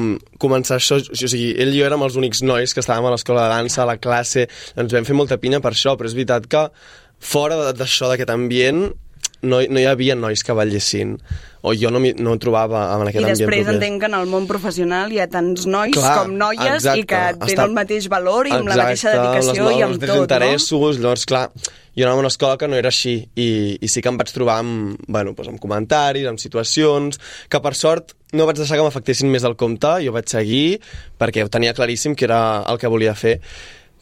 començar això, o sigui, ell i jo érem els únics nois que estàvem a l'escola de dansa, a la classe, ens vam fer molta pinya per això, però és veritat que fora d'això, d'aquest ambient, no, no hi havia nois que ballessin, o jo no, no trobava en aquest ambient. I després proper. Entenc que en el món professional hi ha tants nois Clar, com noies exacte, i que tenen està... el mateix valor i amb exacte, la mateixa dedicació les, i amb tot, interessos, no? Llavors, clar, jo anava a una escola que no era així i, i sí que em vaig trobar amb, bueno, doncs amb comentaris, amb situacions, que per sort no vaig deixar que m'afectessin més del compte, jo vaig seguir perquè ho tenia claríssim que era el que volia fer.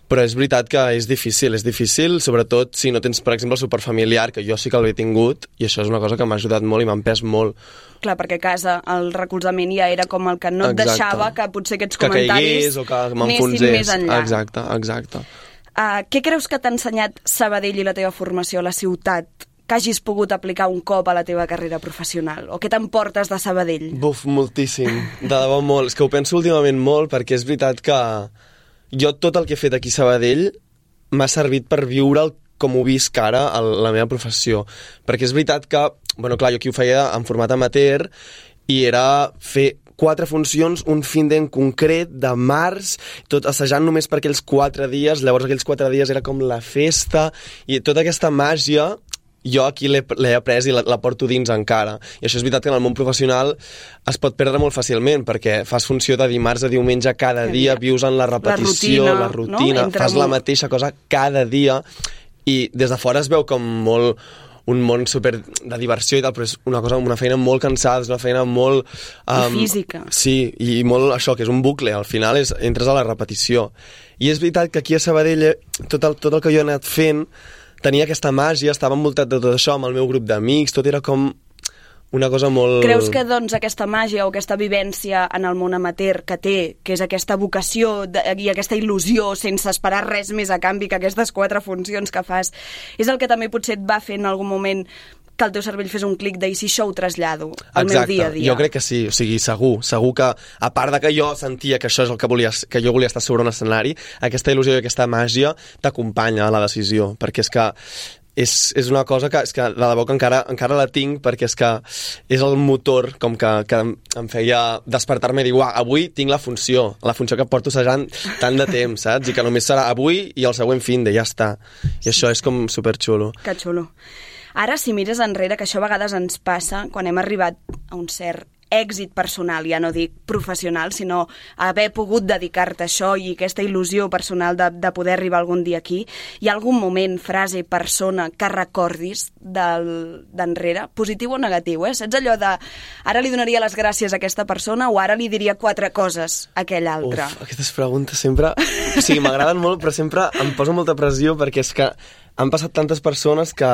Però és veritat que és difícil, és difícil, sobretot si no tens, per exemple, el suport familiar, que jo sí que l'he tingut, i això és una cosa que m'ha ajudat molt i m'ha empès molt. Clar, perquè a casa el recolzament ja era com el que no et exacte. Deixava que potser aquests que comentaris caigués, o que m'enfonsés. Més enllà. Exacte, exacte. Uh, què creus que t'ha ensenyat Sabadell i la teva formació a la ciutat que hagis pogut aplicar un cop a la teva carrera professional? O què t'emportes de Sabadell? Buf, moltíssim, de debò molt. És que ho penso últimament molt perquè és veritat que jo tot el que he fet aquí a Sabadell m'ha servit per viure'l com ho visc ara a la meva professió. Perquè és veritat que, bueno, clar, jo aquí ho feia en format amateur i era fer quatre funcions, un fin d'en concret de març, tot assajant només per aquells quatre dies, llavors aquells quatre dies era com la festa i tota aquesta màgia jo aquí l'he après i la, la porto dins encara. I això és veritat que en el món professional es pot perdre molt fàcilment perquè fas funció de dimarts a diumenge cada dia, vius en la repetició, la rutina, la rutina no? fas la mateixa cosa cada dia i des de fora es veu com molt un món super de diversió i tal, però és una cosa, una feina molt cansada, és una feina molt... Um, I física. Sí, i molt això, que és un bucle, al final és, entres a la repetició. I és veritat que aquí a Sabadell tot el, tot el que jo he anat fent tenia aquesta màgia, estava envoltat de tot això amb el meu grup d'amics, tot era com una cosa molt... Creus que doncs aquesta màgia o aquesta vivència en el món amateur que té, que és aquesta vocació de, i aquesta il·lusió sense esperar res més a canvi que aquestes quatre funcions que fas, és el que també potser et va fer en algun moment que el teu cervell fes un clic de i si això ho trasllado al Exacte. meu dia a dia? Jo crec que sí, o sigui, segur, segur que a part de que jo sentia que això és el que volia, que jo volia estar sobre un escenari, aquesta il·lusió i aquesta màgia t'acompanya a la decisió, perquè és que és, és una cosa que, és que de debò que encara, encara la tinc perquè és que és el motor com que, que em feia despertar-me i dir, uah, avui tinc la funció, la funció que porto assajant tant de temps, saps? I que només serà avui i el següent fin de ja està. I sí. Això és com superxulo. Que xulo. Ara, si mires enrere, que això a vegades ens passa quan hem arribat a un cert èxit personal, ja no dic professional, sinó haver pogut dedicar-te a això i aquesta il·lusió personal de, de poder arribar algun dia aquí, hi ha algun moment, frase, persona que recordis d'enrere, positiu o negatiu, eh? Saps allò de ara li donaria les gràcies a aquesta persona o ara li diria quatre coses a aquell altre? Uf, aquestes preguntes sempre... O sigui, m'agraden molt, però sempre em poso molta pressió perquè és que han passat tantes persones que...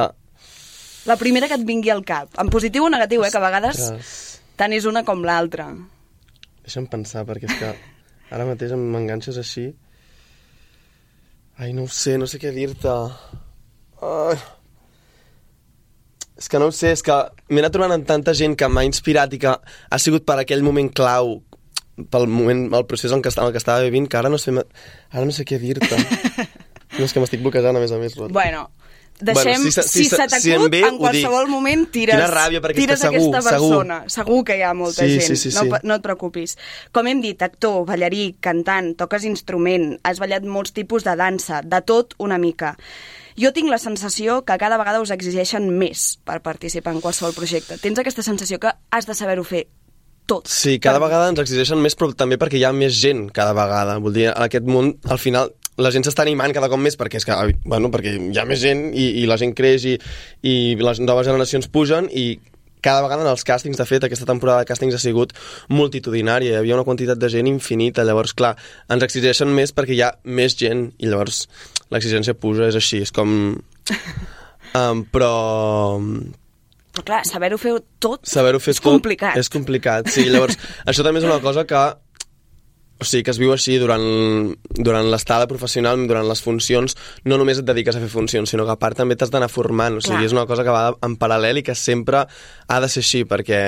La primera que et vingui al cap, en positiu o negatiu, eh? Que a vegades... Ostres. Tant és una com l'altra. Deixa'm pensar, perquè és que ara mateix m'enganxes així. Ai, no ho sé, no sé què dir-te. Ai. És que no ho sé, és que m'he anat trobant amb tanta gent que m'ha inspirat i que ha sigut per aquell moment clau, pel moment, el procés en què estava, el que estava vivint, que ara no sé, ara no sé què dir-te. No, és que m'estic bloquejant, a més a més. Rota. Bueno... Deixem, bueno, si, si, si, si se t'acut, si en, ve, en qualsevol moment tires, ràbia, tires segur, aquesta persona. Segur. Segur que hi ha molta sí, gent, sí, sí, sí. No, no et preocupis. Com hem dit, actor, ballarí, cantant, toques instrument, has ballat molts tipus de dansa, de tot una mica. Jo tinc la sensació que cada vegada us exigeixen més per participar en qualsevol projecte. Tens aquesta sensació que has de saber-ho fer tot. Sí, cada vegada ens exigeixen més, però també perquè hi ha més gent cada vegada. Vull dir, en aquest món, al final, la gent s'està animant cada cop més perquè, és que, bueno, perquè hi ha més gent i, i la gent creix i, i les noves generacions pugen i cada vegada en els càstings, de fet, aquesta temporada de càstings ha sigut multitudinària, hi havia una quantitat de gent infinita, llavors, clar, ens exigeixen més perquè hi ha més gent i llavors l'exigència puja, és així, és com... Um, però... Però clar, saber-ho fer tot saber-ho fer és tot complicat. És complicat, sí, llavors, això també és una cosa que... O sigui, que es viu així durant, durant l'estada professional, durant les funcions, no només et dediques a fer funcions, sinó que a part també t'has d'anar formant. O sigui, Clar. és una cosa que va en paral·lel i que sempre ha de ser així, perquè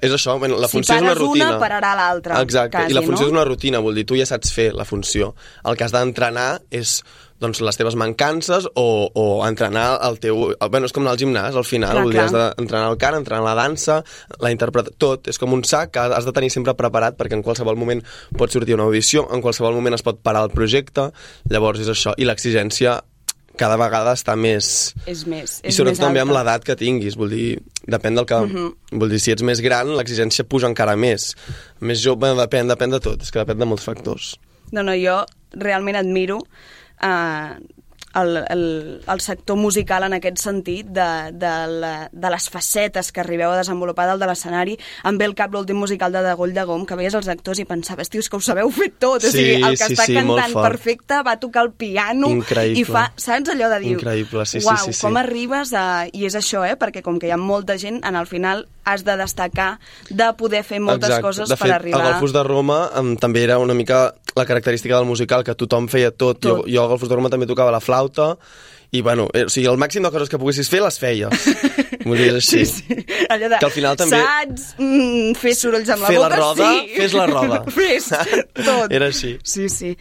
és això, bueno, la funció si és una rutina. Si pagues una, pararà l'altra. Exacte, quasi, i la funció no? és una rutina, vol dir, tu ja saps fer la funció. El que has d'entrenar és doncs, les teves mancances o, o entrenar el teu... Bueno, és com anar al gimnàs, al final, clar, vol dir, clar. has d'entrenar el cant, entrenar la dansa, la interpretació, tot. És com un sac que has de tenir sempre preparat perquè en qualsevol moment pot sortir una audició, en qualsevol moment es pot parar el projecte, llavors és això. I l'exigència cada vegada està més... És més, és I sobretot més també amb alta. l'edat que tinguis, vol dir, depèn del que... Uh-huh. Vol dir, si ets més gran, l'exigència puja encara més. Més jove, depèn, depèn de tot, és que depèn de molts factors. No, no, jo realment admiro eh, el, el, el sector musical en aquest sentit, de, de, la, de les facetes que arribeu a desenvolupar dalt de l'escenari. Em ve al cap l'últim musical de Degoll de Gom, que veies els actors i pensaves, tios, que ho sabeu fer tot. Sí, o sigui, el que sí, està sí, cantant perfecte va tocar el piano. Increïble. I fa, saps allò de dir, Increïble, sí, uau, sí, sí, sí. com arribes a... I és això, eh? Perquè com que hi ha molta gent, en el final has de destacar, de poder fer moltes Exacte. coses de fet, per arribar... a Golfos de Roma um, també era una mica la característica del musical, que tothom feia tot. tot. Jo, jo a Golfos de Roma també tocava la flauta, i bueno, eh, o sigui, el màxim de coses que poguessis fer les feies. Vull dir, és així. Sí, sí. Allò de, que al final també... saps mm, fer sorolls amb la fer boca? la roda, sí. fes la roda. Fes tot. Era així. Sí, sí.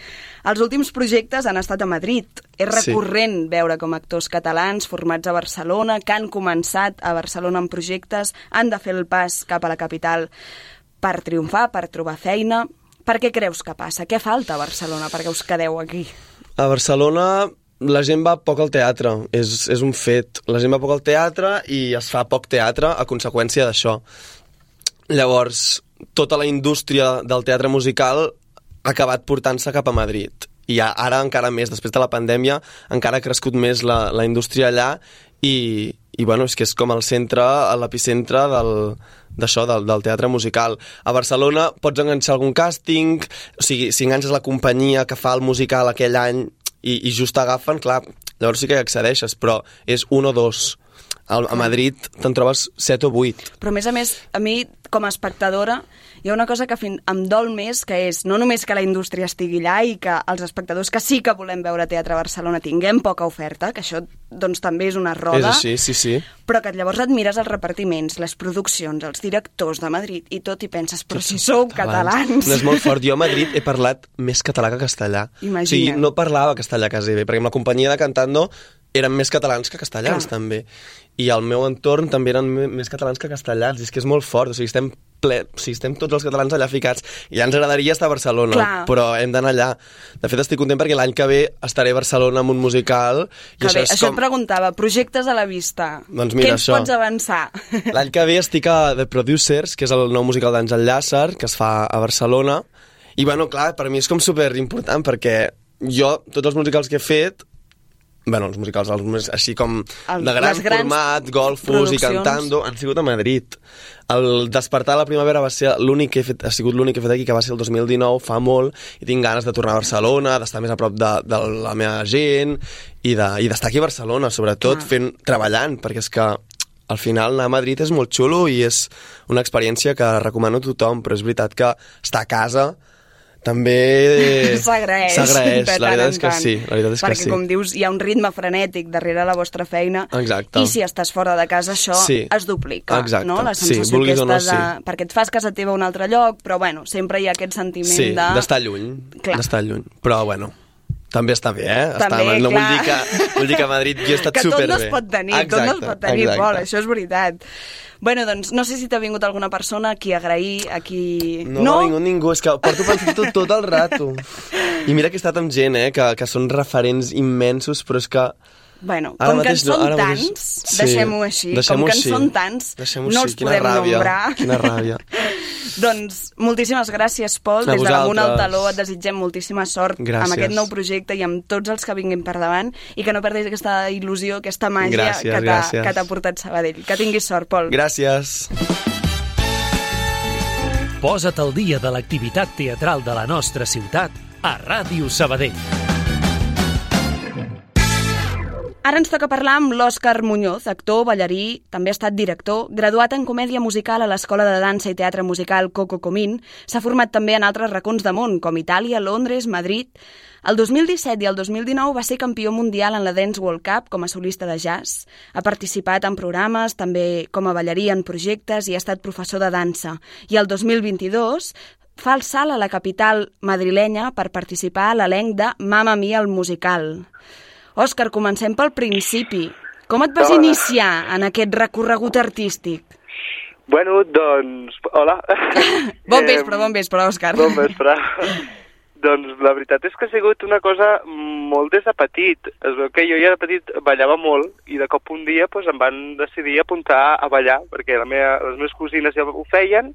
Els últims projectes han estat a Madrid. És recurrent sí. veure com actors catalans formats a Barcelona, que han començat a Barcelona en projectes, han de fer el pas cap a la capital per triomfar, per trobar feina. Per què creus que passa? Què falta a Barcelona perquè us quedeu aquí? A Barcelona la gent va poc al teatre, és, és un fet. La gent va poc al teatre i es fa poc teatre a conseqüència d'això. Llavors, tota la indústria del teatre musical ha acabat portant-se cap a Madrid. I ara encara més, després de la pandèmia, encara ha crescut més la, la indústria allà i, i bueno, és que és com el centre, l'epicentre del, d'això, del, del teatre musical. A Barcelona pots enganxar algun càsting, o sigui, si enganxes la companyia que fa el musical aquell any i, i just t'agafen, clar, llavors sí que hi accedeixes, però és un o dos. A, a Madrid te'n trobes set o vuit. Però a més a més, a mi, com a espectadora, hi ha una cosa que fin, em dol més, que és no només que la indústria estigui allà i que els espectadors que sí que volem veure teatre a Barcelona tinguem poca oferta, que això doncs també és una roda, és així, sí, sí. però que llavors et mires els repartiments, les produccions, els directors de Madrid i tot i penses, però si sou catalans... No és molt fort. Jo a Madrid he parlat més català que castellà. Imagina't. O sigui, no parlava castellà quasi bé, perquè amb la companyia de Cantando eren més catalans que castellans, Clar. també. I al meu entorn també eren més catalans que castellans. I és que és molt fort. O sigui, estem, ple... o sigui, estem tots els catalans allà ficats. I ja ens agradaria estar a Barcelona, Clar. però hem d'anar allà. De fet, estic content perquè l'any que ve estaré a Barcelona amb un musical. I Que això bé, és això com... et preguntava, projectes a la vista. Doncs mira, Què ens això. pots avançar? L'any que ve estic a The Producers, que és el nou musical d'Àngel Llàcer, que es fa a Barcelona. I, bueno, clar, per mi és com super important, perquè jo, tots els musicals que he fet, bueno, els musicals els més, així com El, de gran format, golfos i cantando, han sigut a Madrid. El Despertar a la primavera va ser l'únic que he fet, ha sigut l'únic que he fet aquí, que va ser el dos mil dinou, fa molt, i tinc ganes de tornar a Barcelona, d'estar més a prop de, de la meva gent, i de, i d'estar aquí a Barcelona, sobretot, fent, treballant, perquè és que al final anar a Madrid és molt xulo i és una experiència que recomano a tothom, però és veritat que estar a casa també s'agraeix s'agraeix, de la tant veritat en és que tant. sí, la veritat és perquè que sí. com dius, hi ha un ritme frenètic darrere la vostra feina. Exacte. I si estàs fora de casa això Sí. es duplica. Exacte. No? La Sí, sensació vulguis o no, aquesta de... sí. perquè et fas casa teva a un altre lloc, però bueno, sempre hi ha aquest sentiment Sí, de... d'estar lluny, Clar. d'estar lluny. Però bueno, també està bé, eh? També, està, no clar. vull dir que, vull dir que a Madrid jo he estat que tot superbé. no es pot tenir, tot no es pot tenir, exacte. Pol, això és veritat. Bueno, doncs, no sé si t'ha vingut alguna persona a qui agrair, a qui... No, no? m'ha vingut ningú, és que porto pensant tot, tot el rato. I mira que he estat amb gent, eh, que, que són referents immensos, però és que Bueno, Ara com que en mateix no, són ara mateix- tants, sí, deixem-ho així, deixem-ho com que en així. són tants, Deixem-ho no així, els quina podem ràbia, nombrar. quina ràbia. Doncs moltíssimes gràcies, Pol. A Des de l'Amunt al vosaltres. Taló et desitgem moltíssima sort Gràcies. amb aquest nou projecte i amb tots els que vinguin per davant i que no perdis aquesta il·lusió, aquesta màgia Gràcies, que t'ha gràcies. que t'ha portat Sabadell. Que tinguis sort, Pol. Gràcies. Posa't al dia de l'activitat teatral de la nostra ciutat a Ràdio Sabadell. Ara ens toca parlar amb l'Òscar Muñoz, actor, ballarí, també ha estat director, graduat en comèdia musical a l'Escola de Dansa i Teatre Musical Coco Comín, s'ha format també en altres racons de món, com Itàlia, Londres, Madrid. El dos mil disset i el dos mil dinou va ser campió mundial en la Dance World Cup com a solista de jazz. Ha participat en programes, també com a ballarí en projectes i ha estat professor de dansa. I el dos mil vint-i-dos fa el salt a la capital madrilenya per participar a l'elenc de Mamma Mia el musical. Òscar, comencem pel principi. Com et vas Hola. iniciar en aquest recorregut artístic? Bueno, doncs... Hola. Bon vespre, bon vespre, Òscar. Bon vespre. Doncs la veritat és que ha sigut una cosa molt des de petit. Es veu que jo ja de petit ballava molt i de cop un dia doncs, em van decidir apuntar a ballar perquè la meva, les meves cosines ja ho feien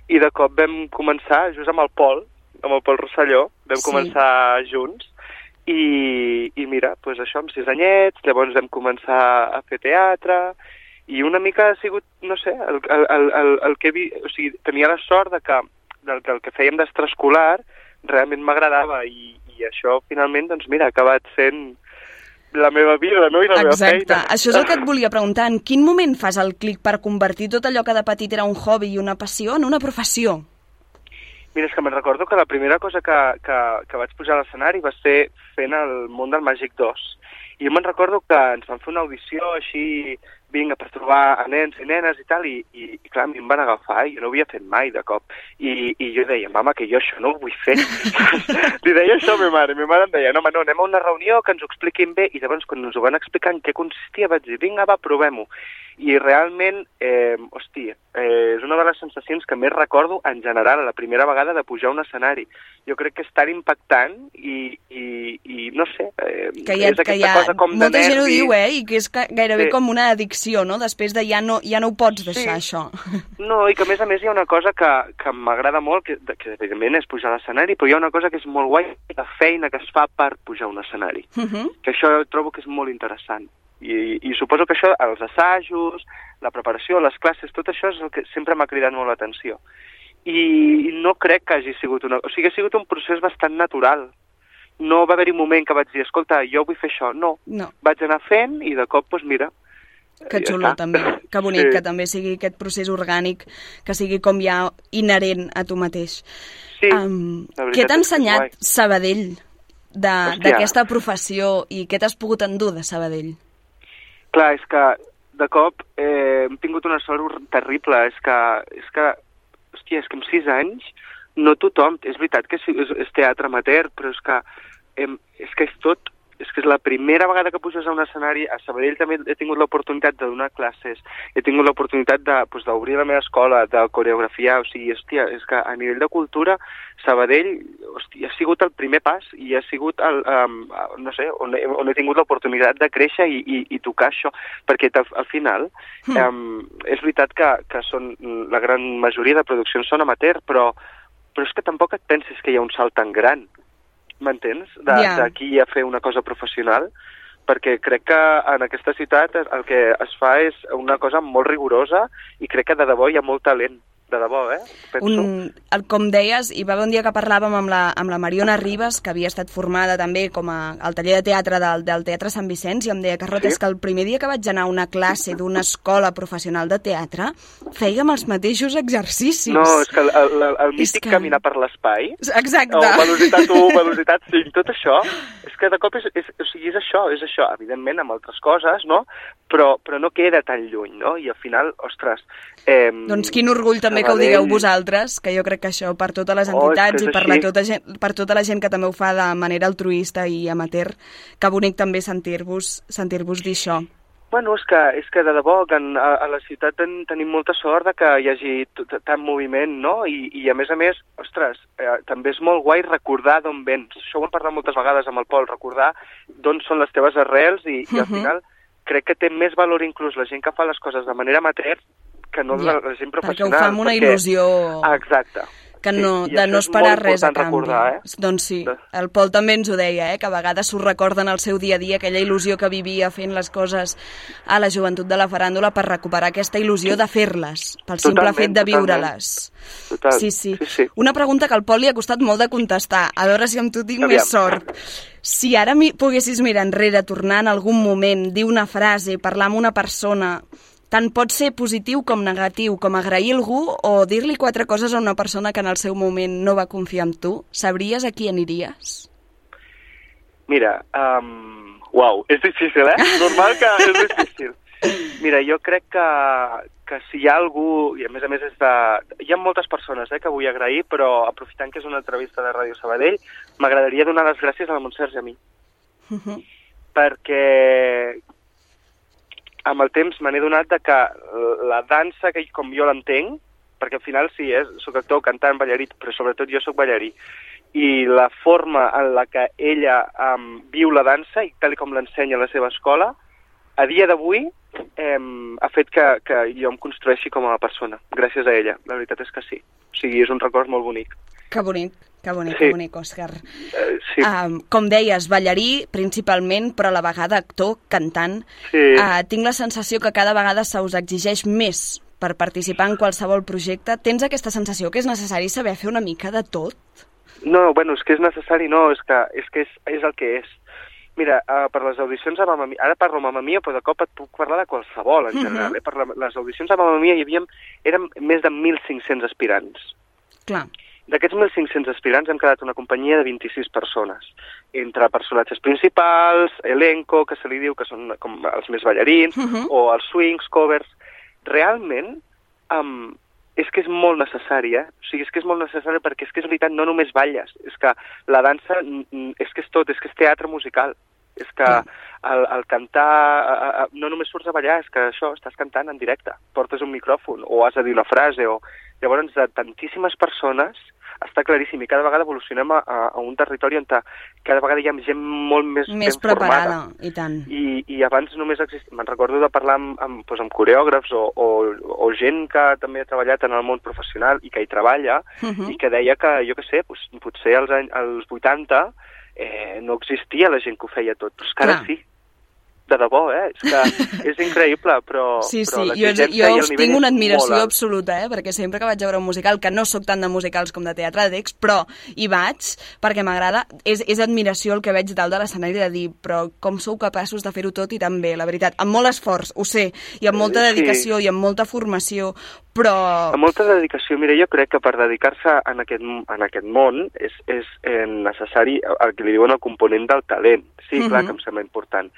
i de cop vam començar just amb el Pol, amb el Pol Rosselló, vam Sí. començar junts i, i mira, doncs això, amb sis anyets, llavors vam començar a fer teatre i una mica ha sigut, no sé, el, el, el, el, el que vi, o sigui, tenia la sort de que, del que el que fèiem d'extraescolar realment m'agradava i, i això finalment, doncs mira, ha acabat sent la meva vida, no? I la Exacte. meva feina. Això és el que et volia preguntar. En quin moment fas el clic per convertir tot allò que de petit era un hobby i una passió en una professió? Mira, és que me'n recordo que la primera cosa que, que, que vaig pujar a l'escenari va ser fent el món del Màgic dos. I jo me'n recordo que ens van fer una audició així, vinga, per trobar a nens i nenes i tal, i, i, i clar, a mi em van agafar i jo no ho havia fet mai de cop. I, i jo deia, mama, que jo això no ho vull fer. Li deia això a ma mare, i ma mare em deia, no, home, no, anem a una reunió que ens ho expliquin bé, i llavors quan ens ho van explicar en què consistia vaig dir, vinga, va, provem-ho. I realment, eh, hòstia, eh, és una de les sensacions que més recordo en general, la primera vegada de pujar a un escenari. Jo crec que és tan impactant i, i, i no sé, eh, Que hi ha, és que aquesta hi ha, cosa com de molta gent ho nervi. diu, eh? I que és que gairebé Sí. com una addicció, no? Després de ja no, ja no ho pots deixar, Sí. això. No, i que a més a més hi ha una cosa que, que m'agrada molt, que, que evidentment és pujar a l'escenari, però hi ha una cosa que és molt guai, la feina que es fa per pujar a un escenari. Uh -huh. Que això trobo que és molt interessant. I, i suposo que això, els assajos, la preparació, les classes, tot això és el que sempre m'ha cridat molt l'atenció. I no crec que hagi sigut una... O sigui, ha sigut un procés bastant natural. No va haver-hi un moment que vaig dir, escolta, jo vull fer això. No, No. vaig anar fent i de cop, doncs mira, Que ja xulo, està. també. Que bonic, Sí. que també sigui aquest procés orgànic, que sigui com ja inherent a tu mateix. Sí, Um, la veritat què t'ha és que és ensenyat guai. Sabadell de- Hòstia. d'aquesta professió i què t'has pogut endur de Sabadell? Clar, és que de cop eh, hem tingut una sort terrible. És que, és que, hòstia, és que amb sis anys no tothom... És veritat que és, és, és teatre amateur, però és que, eh, és que és tot... És que és la primera vegada que puges a un escenari. A Sabadell també he tingut l'oportunitat de donar classes, he tingut l'oportunitat de, pues, d'obrir la meva escola, de coreografiar, o sigui, hòstia, és que a nivell de cultura, Sabadell, hòstia, ha sigut el primer pas i ha sigut, el, um, no sé, on he, on he tingut l'oportunitat de créixer i, i, i tocar això, perquè al, al final Mm. um, és veritat que, que són, la gran majoria de produccions són amateur, però, però és que tampoc et pensis que hi ha un salt tan gran, m'entens? De- Ja. D'aquí a fer una cosa professional, perquè crec que en aquesta ciutat el que es fa és una cosa molt rigorosa i crec que de debò hi ha molt talent, de debò, eh? Penso. Un, el, com deies, hi va haver un dia que parlàvem amb la, amb la Mariona Ribas, que havia estat formada també com a, al taller de teatre del, del Teatre Sant Vicenç, i em deia, Carlota, Sí. és que el primer dia que vaig anar a una classe d'una escola professional de teatre, fèiem els mateixos exercicis. No, és que el, el, el, el És mític que- caminar per l'espai, Exacte. o velocitat u, velocitat cinc, tot això, és que de cop és, és, o sigui, és això, és això, evidentment amb altres coses, no? Però, però no queda tan lluny, no? I al final, ostres... Eh, Doncs quin orgull també que ho Sabadell- digueu vosaltres, que jo crec que això per totes les Oh, és entitats que és i per, la així. tota gent, per tota la gent que també ho fa de manera altruista i amateur, que bonic també sentir-vos sentir-vos dir això. Bueno, és que, és que de debò, que en, a, a la ciutat ten, tenim molta sort de que hi hagi t- tant moviment, no? I, I a més a més, ostres, eh, també és molt guai recordar d'on vens. Això ho hem parlat moltes vegades amb el Pol, recordar d'on són les teves arrels i, uh-huh. i al final crec que té més valor inclús la gent que fa les coses de manera amateur que no ja, la gent professional. Perquè ho fa amb una perquè... il·lusió... Ah, exacte. Que no, sí, de no esperar res a canvi. Recordar, eh? Doncs sí, el Pol també ens ho deia, eh? Que a vegades s'ho recorden al seu dia a dia, aquella il·lusió que vivia fent les coses a la joventut de la faràndula per recuperar aquesta il·lusió de fer-les, pel simple totalment, fet de viure-les. Total. Sí, sí, sí, sí. Una pregunta que al Pol li ha costat molt de contestar, a veure si amb tu tinc Aviam. més sort. Si ara mi poguessis mirar enrere, tornar en algun moment, dir una frase, parlar amb una persona... Tant pot ser positiu com negatiu, com agrair algú o dir-li quatre coses a una persona que en el seu moment no va confiar en tu. Sabries a qui aniries? Mira, um, uau, és difícil, eh? Normal que és difícil. Mira, jo crec que, que si hi ha algú, i a més a més és de... Hi ha moltes persones eh, que vull agrair, però aprofitant que és una entrevista de Ràdio Sabadell, m'agradaria donar les gràcies a la Montserrat Jamí. Uh-huh. Perquè... amb el temps me n'he donat de que la dansa, que com jo l'entenc, perquè al final sí, eh, soc actor, cantant, ballarí, però sobretot jo soc ballarí, i la forma en la que ella um, viu la dansa, i tal com l'ensenya a la seva escola, a dia d'avui um, ha fet que, que jo em construeixi com a persona, gràcies a ella. La veritat és que sí. O sigui, és un record molt bonic. Que bonic. Que bonic, sí. que bonic, Òscar. Uh, sí. uh, com deies, ballarí principalment, però a la vegada actor, cantant. Sí. Uh, tinc la sensació que cada vegada se us exigeix més per participar en qualsevol projecte. Tens aquesta sensació que és necessari saber fer una mica de tot? No, bueno, és que és necessari, no, és que és, que és, és el que és. Mira, uh, per les audicions a Mamma Mia, ara parlo a Mamma Mia, però de cop et puc parlar de qualsevol, en general. Uh-huh. eh? Per la, les audicions a Mamma Mia hi havia, érem més de mil cinc-cents aspirants. Clar. D'aquests mil cinc-cents aspirants hem quedat una companyia de vint-i-sis persones, entre personatges principals, elenco, que se li diu que són com els més ballarins, uh-huh. o els swings, covers. Realment, um, és que és molt necessari, eh? O sigui, és que és molt necessari perquè és que és veritat, no només balles, és que la dansa és que és tot, és que és teatre musical. És que el, el cantar, no només surts a ballar, és que això, estàs cantant en directe, portes un micròfon o has de dir una frase, o llavors de tantíssimes persones està claríssim i cada vegada evolucionem a, a un territori on cada vegada hi ha gent molt més, més ben preparada, formada. I tant. I, i abans només existia, me'n recordo de parlar amb, amb, doncs amb coreògrafs o, o, o gent que també ha treballat en el món professional i que hi treballa, uh-huh. i que deia que, jo què sé, doncs, potser als, anys, als vuitanta eh, no existia la gent que ho feia tot, però és que ara sí. De debò, eh? És que és increïble, però, sí, sí. però jo, jo us tinc una admiració absoluta, eh? Perquè sempre que vaig a veure un musical, que no sóc tant de musicals com de teatre de text, però hi vaig perquè m'agrada, és, és admiració el que veig dalt de l'escenari de dir, però com sou capaços de fer-ho tot i tan bé, la veritat, amb molt esforç, ho sé, i amb molta dedicació sí. i amb molta formació, però... Amb molta dedicació, mira, jo crec que per dedicar-se en aquest, en aquest món és, és eh, necessari el que li diuen el component del talent, sí, clar, uh-huh. que em sembla important,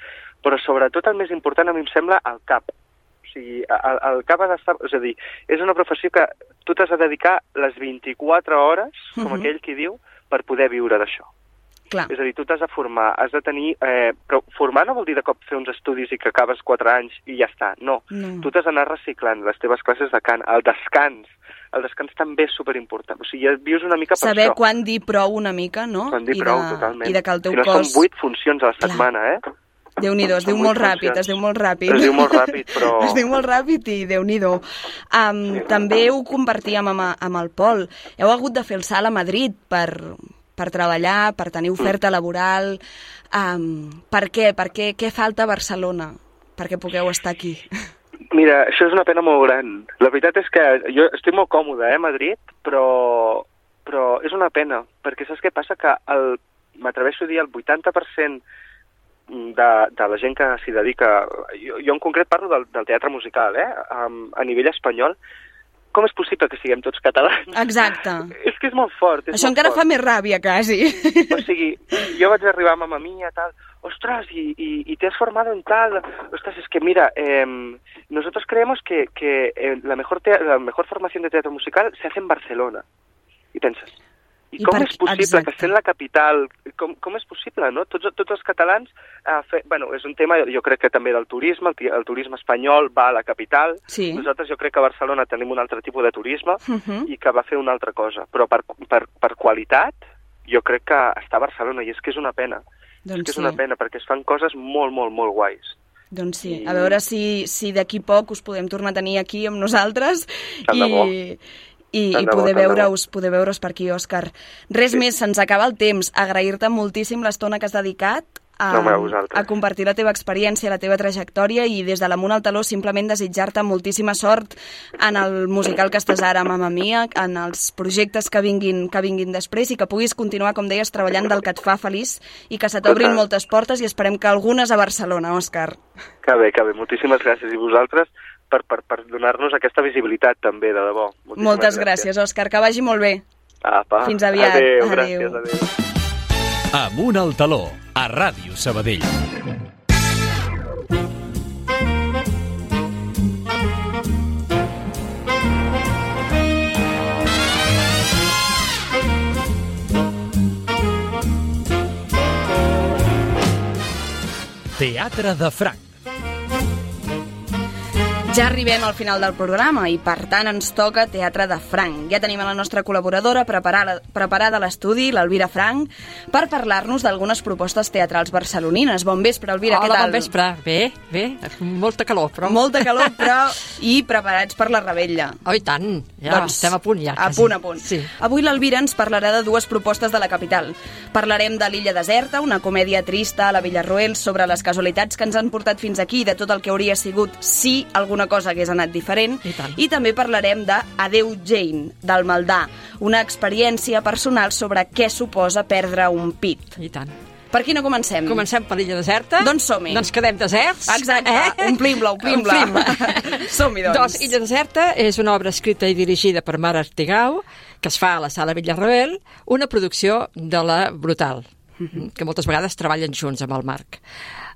però sobretot el més important a mi em sembla el cap. O sigui, el, el cap ha d'estar... És a dir, és una professió que tu t'has de dedicar les vint-i-quatre hores, com uh-huh. aquell qui diu, per poder viure d'això. Clar. És a dir, tu t'has de formar, has de tenir... Eh, però formar no vol dir de cop fer uns estudis i que acabes quatre anys i ja està. No, no. Tu t'has d'anar reciclant les teves classes de cant, el descans. El descans també és superimportant. O sigui, ja vius una mica per Saber això. Saber quan dir prou una mica, no? Quan dir I prou, de, totalment. I de que el teu si no, cos... són vuit funcions a la Clar. setmana, eh? Déu-n'hi-do, es diu molt ràpid, es diu molt ràpid. Es diu molt ràpid, però... Es diu molt ràpid i Déu-n'hi-do. Um, sí, també ho compartíem amb, amb el Pol. Heu hagut de fer el salt a Madrid per, per treballar, per tenir oferta mm. laboral. Um, per què? Per què? Què falta a Barcelona perquè pugueu estar aquí? Mira, això és una pena molt gran. La veritat és que jo estic molt còmode, eh, a Madrid, però, però és una pena, perquè saps què passa? Que el, m'atreveixo a dir el vuitanta per cent De, de la gent que s'hi dedica, jo, jo en concret parlo del, del teatre musical, eh? Um, a nivell espanyol, com és possible que siguem tots catalans? Exacte. És que és molt fort. És Això molt encara fort. fa més ràbia, quasi. O sigui, jo vaig arribar a Mamma Mia, tal, ostras, y, y, y te has formado en tal, ostras, es que mira, eh, nosotros creemos que, que eh, la, mejor te la mejor formación de teatro musical se hace en Barcelona. Y piensas, I, I com per... és possible Exacte. que sent la capital, com, com és possible, no? Tots, tots els catalans, eh, fe... bueno, és un tema, jo crec que també del turisme, el, el turisme espanyol va a la capital, sí. Nosaltres jo crec que a Barcelona tenim un altre tipus de turisme uh -huh. i que va fer una altra cosa, però per, per, per qualitat jo crec que està a Barcelona i és que és una pena, doncs és que és sí. una pena perquè es fan coses molt, molt, molt guais. Doncs sí, I... a veure si, si d'aquí poc us podem tornar a tenir aquí amb nosaltres Tant de bo. i... i, Tant i de bo, poder tant de bo. veure-us poder veure-us per aquí, Òscar. Res Sí. més, se'ns acaba el temps. Agrair-te moltíssim l'estona que has dedicat a, No, a vosaltres. a compartir la teva experiència, la teva trajectòria i des de l'Amunt al Taló simplement desitjar-te moltíssima sort en el musical que estàs ara, Mamma Mia, en els projectes que vinguin, que vinguin després i que puguis continuar, com deies, treballant del que et fa feliç i que se t'obrin Total. moltes portes i esperem que algunes a Barcelona, Òscar. Que bé, que bé. Moltíssimes gràcies. I vosaltres per, per, per donar-nos aquesta visibilitat també, de debò. Moltíssimes Moltes gràcies, Òscar. Que vagi molt bé. Apa. Fins aviat. Adéu, Adéu. gràcies, adéu. Amunt al Taló, a Ràdio Sabadell. Teatre de Franc. Ja arribem al final del programa i, per tant, ens toca Teatre de Franc. Ja tenim a la nostra col·laboradora preparada, preparada a l'estudi, l'Elvira Franc, per parlar-nos d'algunes propostes teatrals barcelonines. Bon vespre, Elvira, Hola, què tal? bon vespre. Bé, bé, molta calor, però... Molta calor, però... I preparats per la rebella. Oh, i tant, ja Doncs, estem a punt, ja. A quasi. punt, a punt. Sí. Avui l'Elvira ens parlarà de dues propostes de la capital. Parlarem de l'Illa Deserta, una comèdia trista a la Villarroel sobre les casualitats que ens han portat fins aquí i de tot el que hauria sigut si alguna cosa hagués anat diferent. I tant. I també parlarem de Adeu Jane, del Maldà, una experiència personal sobre què suposa perdre un pit. I tant. Per quina comencem? Comencem per l'illa deserta. Doncs som-hi. Doncs quedem deserts. Exacte, eh? omplim-la, omplim-la. Omplim-la. Som-hi, doncs. Doncs Illa deserta és una obra escrita i dirigida per Mar Artigau, que es fa a la Sala Villarroel, una producció de la Brutal, que moltes vegades treballen junts amb el Marc.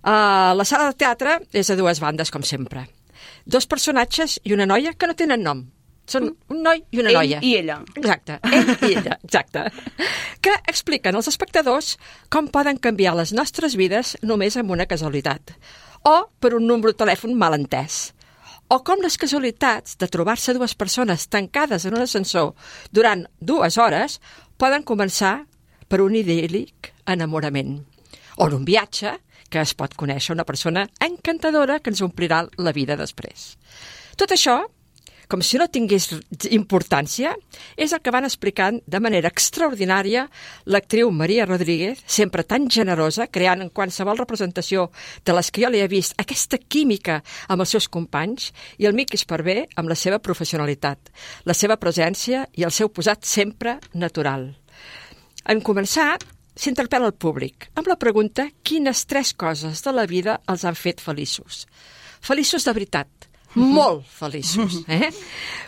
Uh, la sala de teatre és a dues bandes, com sempre. Dos personatges i una noia que no tenen nom. Són un noi i una Ell noia. i ella. Exacte, ell i ella, exacte. Que expliquen als espectadors com poden canviar les nostres vides només amb una casualitat. O per un número de telèfon mal entès. O com les casualitats de trobar-se dues persones tancades en un ascensor durant dues hores poden començar per un idíl·lic enamorament. O en un viatge que es pot conèixer una persona encantadora que ens omplirà la vida després. Tot això, com si no tingués importància, és el que van explicant de manera extraordinària l'actriu Maria Rodríguez, sempre tan generosa, creant en qualsevol representació de les que jo li he vist aquesta química amb els seus companys, i el Miqui Esparvé amb la seva professionalitat, la seva presència i el seu posat sempre natural. En començar, s'interpel·la el públic amb la pregunta quines tres coses de la vida els han fet feliços. Feliços de veritat, molt feliços. Eh?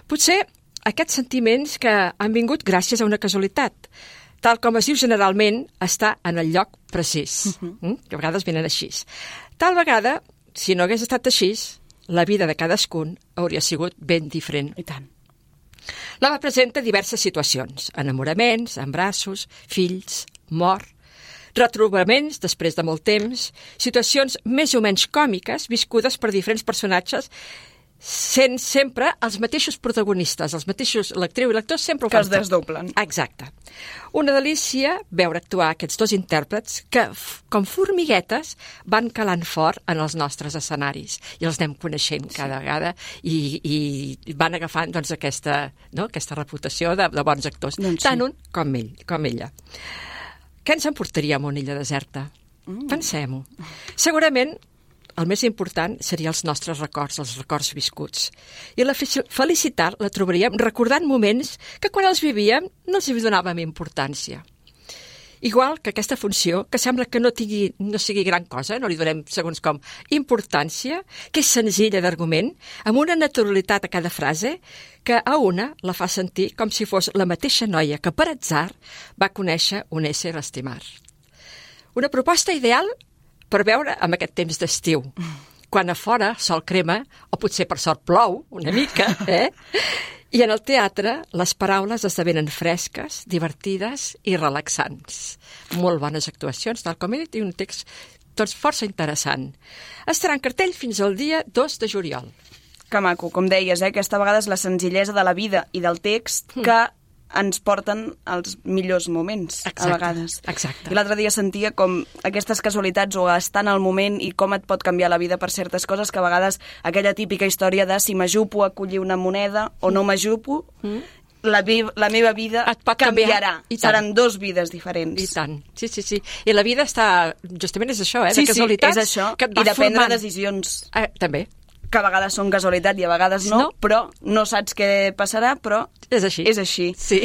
Potser aquests sentiments que han vingut gràcies a una casualitat, tal com es diu generalment, està en el lloc precís, eh? que a vegades venen així. Tal vegada, si no hagués estat així, la vida de cadascun hauria sigut ben diferent. I tant. L'home presenta diverses situacions, enamoraments, embraços, fills, mort, retrobaments després de molt temps, situacions més o menys còmiques viscudes per diferents personatges, sent sempre els mateixos protagonistes, els mateixos, l'actriu i l'actor sempre ho Que fan. es desdoblen. Exacte. Una delícia veure actuar aquests dos intèrprets que, com formiguetes, van calant fort en els nostres escenaris i els anem coneixent cada vegada i, i van agafant doncs, aquesta, no, aquesta reputació de, de bons actors, doncs sí. tant un com ell, com ella. Què ens emportaria a una illa deserta? Mm. Pensem-ho. Segurament el més important seria els nostres records, els records viscuts. I la felicitat la trobaríem recordant moments que quan els vivíem no els hi donàvem importància. Igual que aquesta funció, que sembla que no, tingui, no sigui gran cosa, no li donem segons com importància, que és senzilla d'argument, amb una naturalitat a cada frase, que a una la fa sentir com si fos la mateixa noia que per atzar va conèixer un ésser estimar. Una proposta ideal per veure amb aquest temps d'estiu, quan a fora sol crema, o potser per sort plou una mica, eh? I en el teatre, les paraules esdevenen fresques, divertides i relaxants. Molt bones actuacions, tal com he dit, i un text doncs, força interessant. Estarà en cartell fins al dia dos de juliol. Que maco, com deies, eh? Aquesta vegada és la senzillesa de la vida i del text que ens porten als millors moments, exacte, a vegades. Exacte. I l'altre dia sentia com aquestes casualitats o estar en el moment i com et pot canviar la vida per certes coses, que a vegades aquella típica història de si m'ajupo a collir una moneda o no m'ajupo, mm. la, la meva vida canviarà. Seran dos vides diferents. I tant, sí, sí, sí. I la vida està, justament és això, eh, sí, de casualitats. Sí, és això, que et va i de prendre formant. decisions. Eh, també. Que a vegades són casualitat i a vegades no, no, però no saps què passarà, però és així. És així. Sí.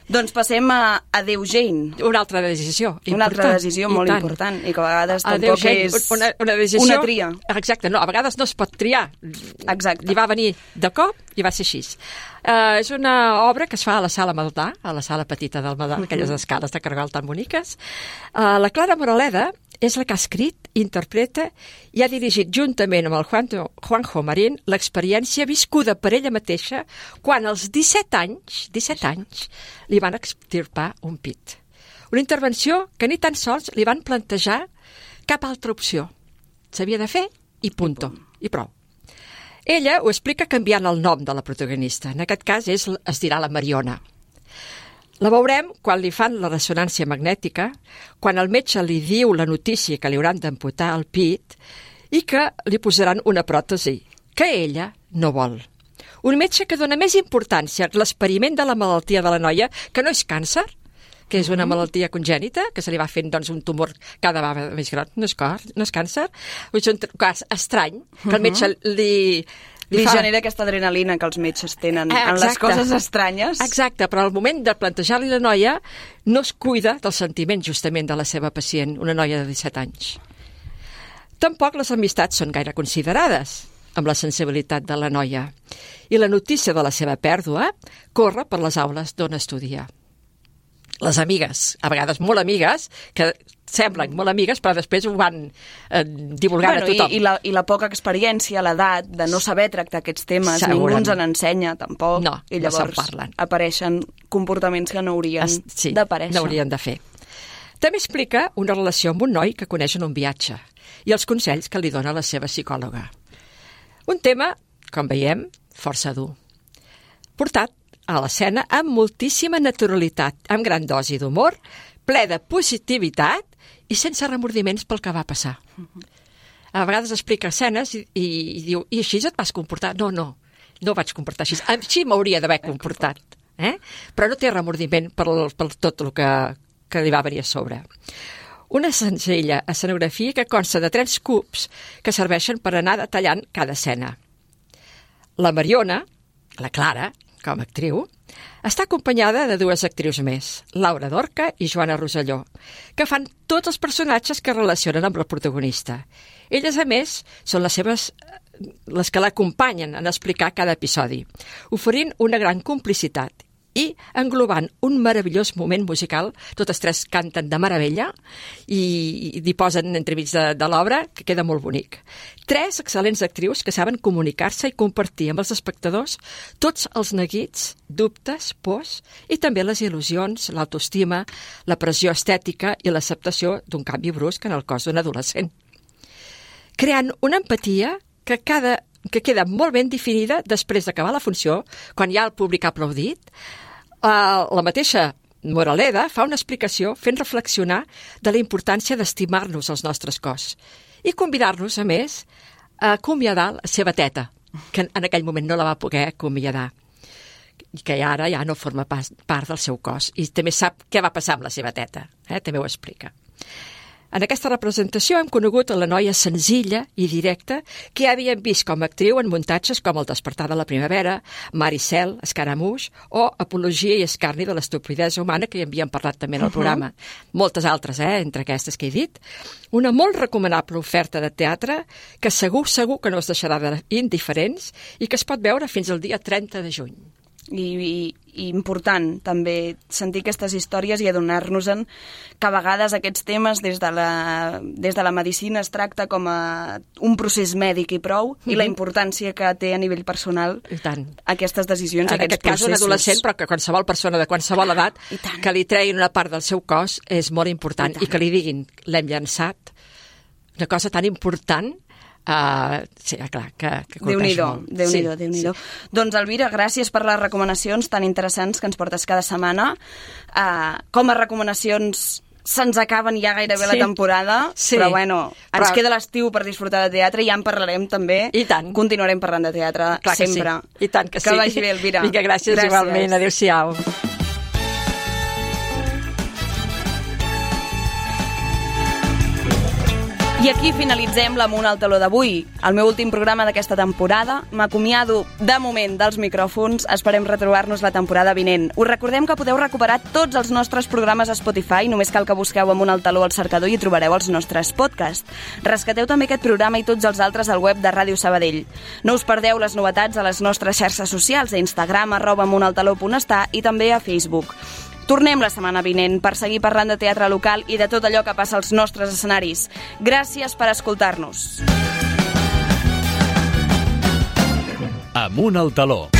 Doncs passem a Adéu Jane. Una altra decisió important. Una altra decisió molt tant. important i que a vegades Adéu tampoc Jane, és una, una, decisió, una tria. Exacte, no, a vegades no es pot triar. Exacte. Li va venir de cop i va ser així. Uh, és una obra que es fa a la Sala Maldà, a la sala petita del Maldà, uh-huh. aquelles escales de cargol tan boniques. Uh, la Clara Moraleda és la que ha escrit, interpreta i ha dirigit juntament amb el Juanjo, Juanjo Marín l'experiència viscuda per ella mateixa quan als disset anys, disset anys li van extirpar un pit. Una intervenció que ni tan sols li van plantejar cap altra opció. S'havia de fer i punto, i prou. Ella ho explica canviant el nom de la protagonista. En aquest cas és, es dirà la Mariona. La veurem quan li fan la ressonància magnètica, quan el metge li diu la notícia que li hauran d'amputar el pit i que li posaran una pròtesi, que ella no vol. Un metge que dona més importància a l'experiment de la malaltia de la noia, que no és càncer, que és una malaltia congènita, que se li va fent doncs, un tumor cada vegada més gran, no és, cor, no és càncer, és un cas estrany, que el metge li... Li, li fa... genera aquesta adrenalina que els metges tenen eh, en les coses estranyes. Exacte, però al moment de plantejar-li la noia no es cuida dels sentiments justament de la seva pacient, una noia de disset anys. Tampoc les amistats són gaire considerades amb la sensibilitat de la noia i la notícia de la seva pèrdua corre per les aules d'on estudia. Les amigues, a vegades molt amigues, que semblen molt amigues, però després ho van eh, divulgant bueno, a tothom. I, i, la, I la poca experiència, l'edat de no saber tractar aquests temes, ningú ens n'ensenya, tampoc. No, i llavors no se'n parlen. Apareixen comportaments que no haurien es, sí, d'aparèixer. no haurien de fer. També explica una relació amb un noi que coneix en un viatge i els consells que li dona la seva psicòloga. Un tema, com veiem, força dur. Portat a l'escena amb moltíssima naturalitat, amb gran dosi d'humor, ple de positivitat i sense remordiments pel que va passar. A vegades explica escenes i, i, i diu, i així et vas comportar? No, no, no vaig comportar així. Així m'hauria d'haver comportat. Eh? Però no té remordiment per, per tot el que, que li va venir a sobre. Una senzilla escenografia que consta de tres cubs que serveixen per anar detallant cada escena. La Mariona, la Clara, com a actriu, està acompanyada de dues actrius més, Laura Dorca i Joana Rosselló, que fan tots els personatges que relacionen amb la protagonista. Elles, a més, són les seves les que l'acompanyen en explicar cada episodi, oferint una gran complicitat i englobant un meravellós moment musical. Totes tres canten de meravella i, i hi posen entremig de, de l'obra, que queda molt bonic. Tres excel·lents actrius que saben comunicar-se i compartir amb els espectadors tots els neguits, dubtes, pors i també les il·lusions, l'autoestima, la pressió estètica i l'acceptació d'un canvi brusc en el cos d'un adolescent. Creant una empatia que, cada, que queda molt ben definida després d'acabar la funció, quan ja el públic ha aplaudit. Uh, la mateixa Moraleda fa una explicació fent reflexionar de la importància d'estimar-nos els nostres cos i convidar-nos, a més, a acomiadar la seva teta, que en aquell moment no la va poder acomiadar i que ara ja no forma pas, part del seu cos i també sap què va passar amb la seva teta, eh? També ho explica. En aquesta representació hem conegut a la noia senzilla i directa que ja havíem vist com a actriu en muntatges com El despertar de la primavera, Maricel, Escaramouche o Apologia i escarni de l'estupidesa humana, que ja havíem parlat també en el programa. Uh-huh. Moltes altres, eh, entre aquestes que he dit. Una molt recomanable oferta de teatre que segur, segur que no es deixarà d'indiferents i que es pot veure fins al dia trenta de juny. i, i, i important també sentir aquestes històries i adonar-nos-en que a vegades aquests temes des de la, des de la medicina es tracta com a un procés mèdic i prou, mm-hmm. i la importància que té a nivell personal I tant. aquestes decisions, en aquests aquest cas processos. un adolescent, però que qualsevol persona de qualsevol edat que li treguin una part del seu cos és molt important, i, i que li diguin l'hem llançat, una cosa tan important. Uh, sí, clar, que, que Déu-n'hi-do, molt. Déu-n'hi-do, sí, Déu-n'hi-do. sí. Doncs, Elvira, gràcies per les recomanacions tan interessants que ens portes cada setmana. Uh, com a recomanacions se'ns acaben ja gairebé sí. la temporada, sí. però bueno, ens però... queda l'estiu per disfrutar de teatre i ja en parlarem també. I tant. Continuarem parlant de teatre clar sempre. Que sí. I tant que, que sí. vagi bé, Elvira. Vinga, gràcies, gràcies. Igualment. Adéu-siau. I aquí finalitzem l'Amunt al Taló d'avui, el meu últim programa d'aquesta temporada. M'acomiado, de moment, dels micròfons. Esperem retrobar-nos la temporada vinent. Us recordem que podeu recuperar tots els nostres programes a Spotify. Només cal que busqueu Amunt al Taló al cercador i hi trobareu els nostres podcasts. Rescateu també aquest programa i tots els altres al web de Ràdio Sabadell. No us perdeu les novetats a les nostres xarxes socials, a Instagram, arroba amuntaltaló punt estar, i també a Facebook. Tornem la setmana vinent per seguir parlant de teatre local i de tot allò que passa als nostres escenaris. Gràcies per escoltar-nos. Amunt al Taló.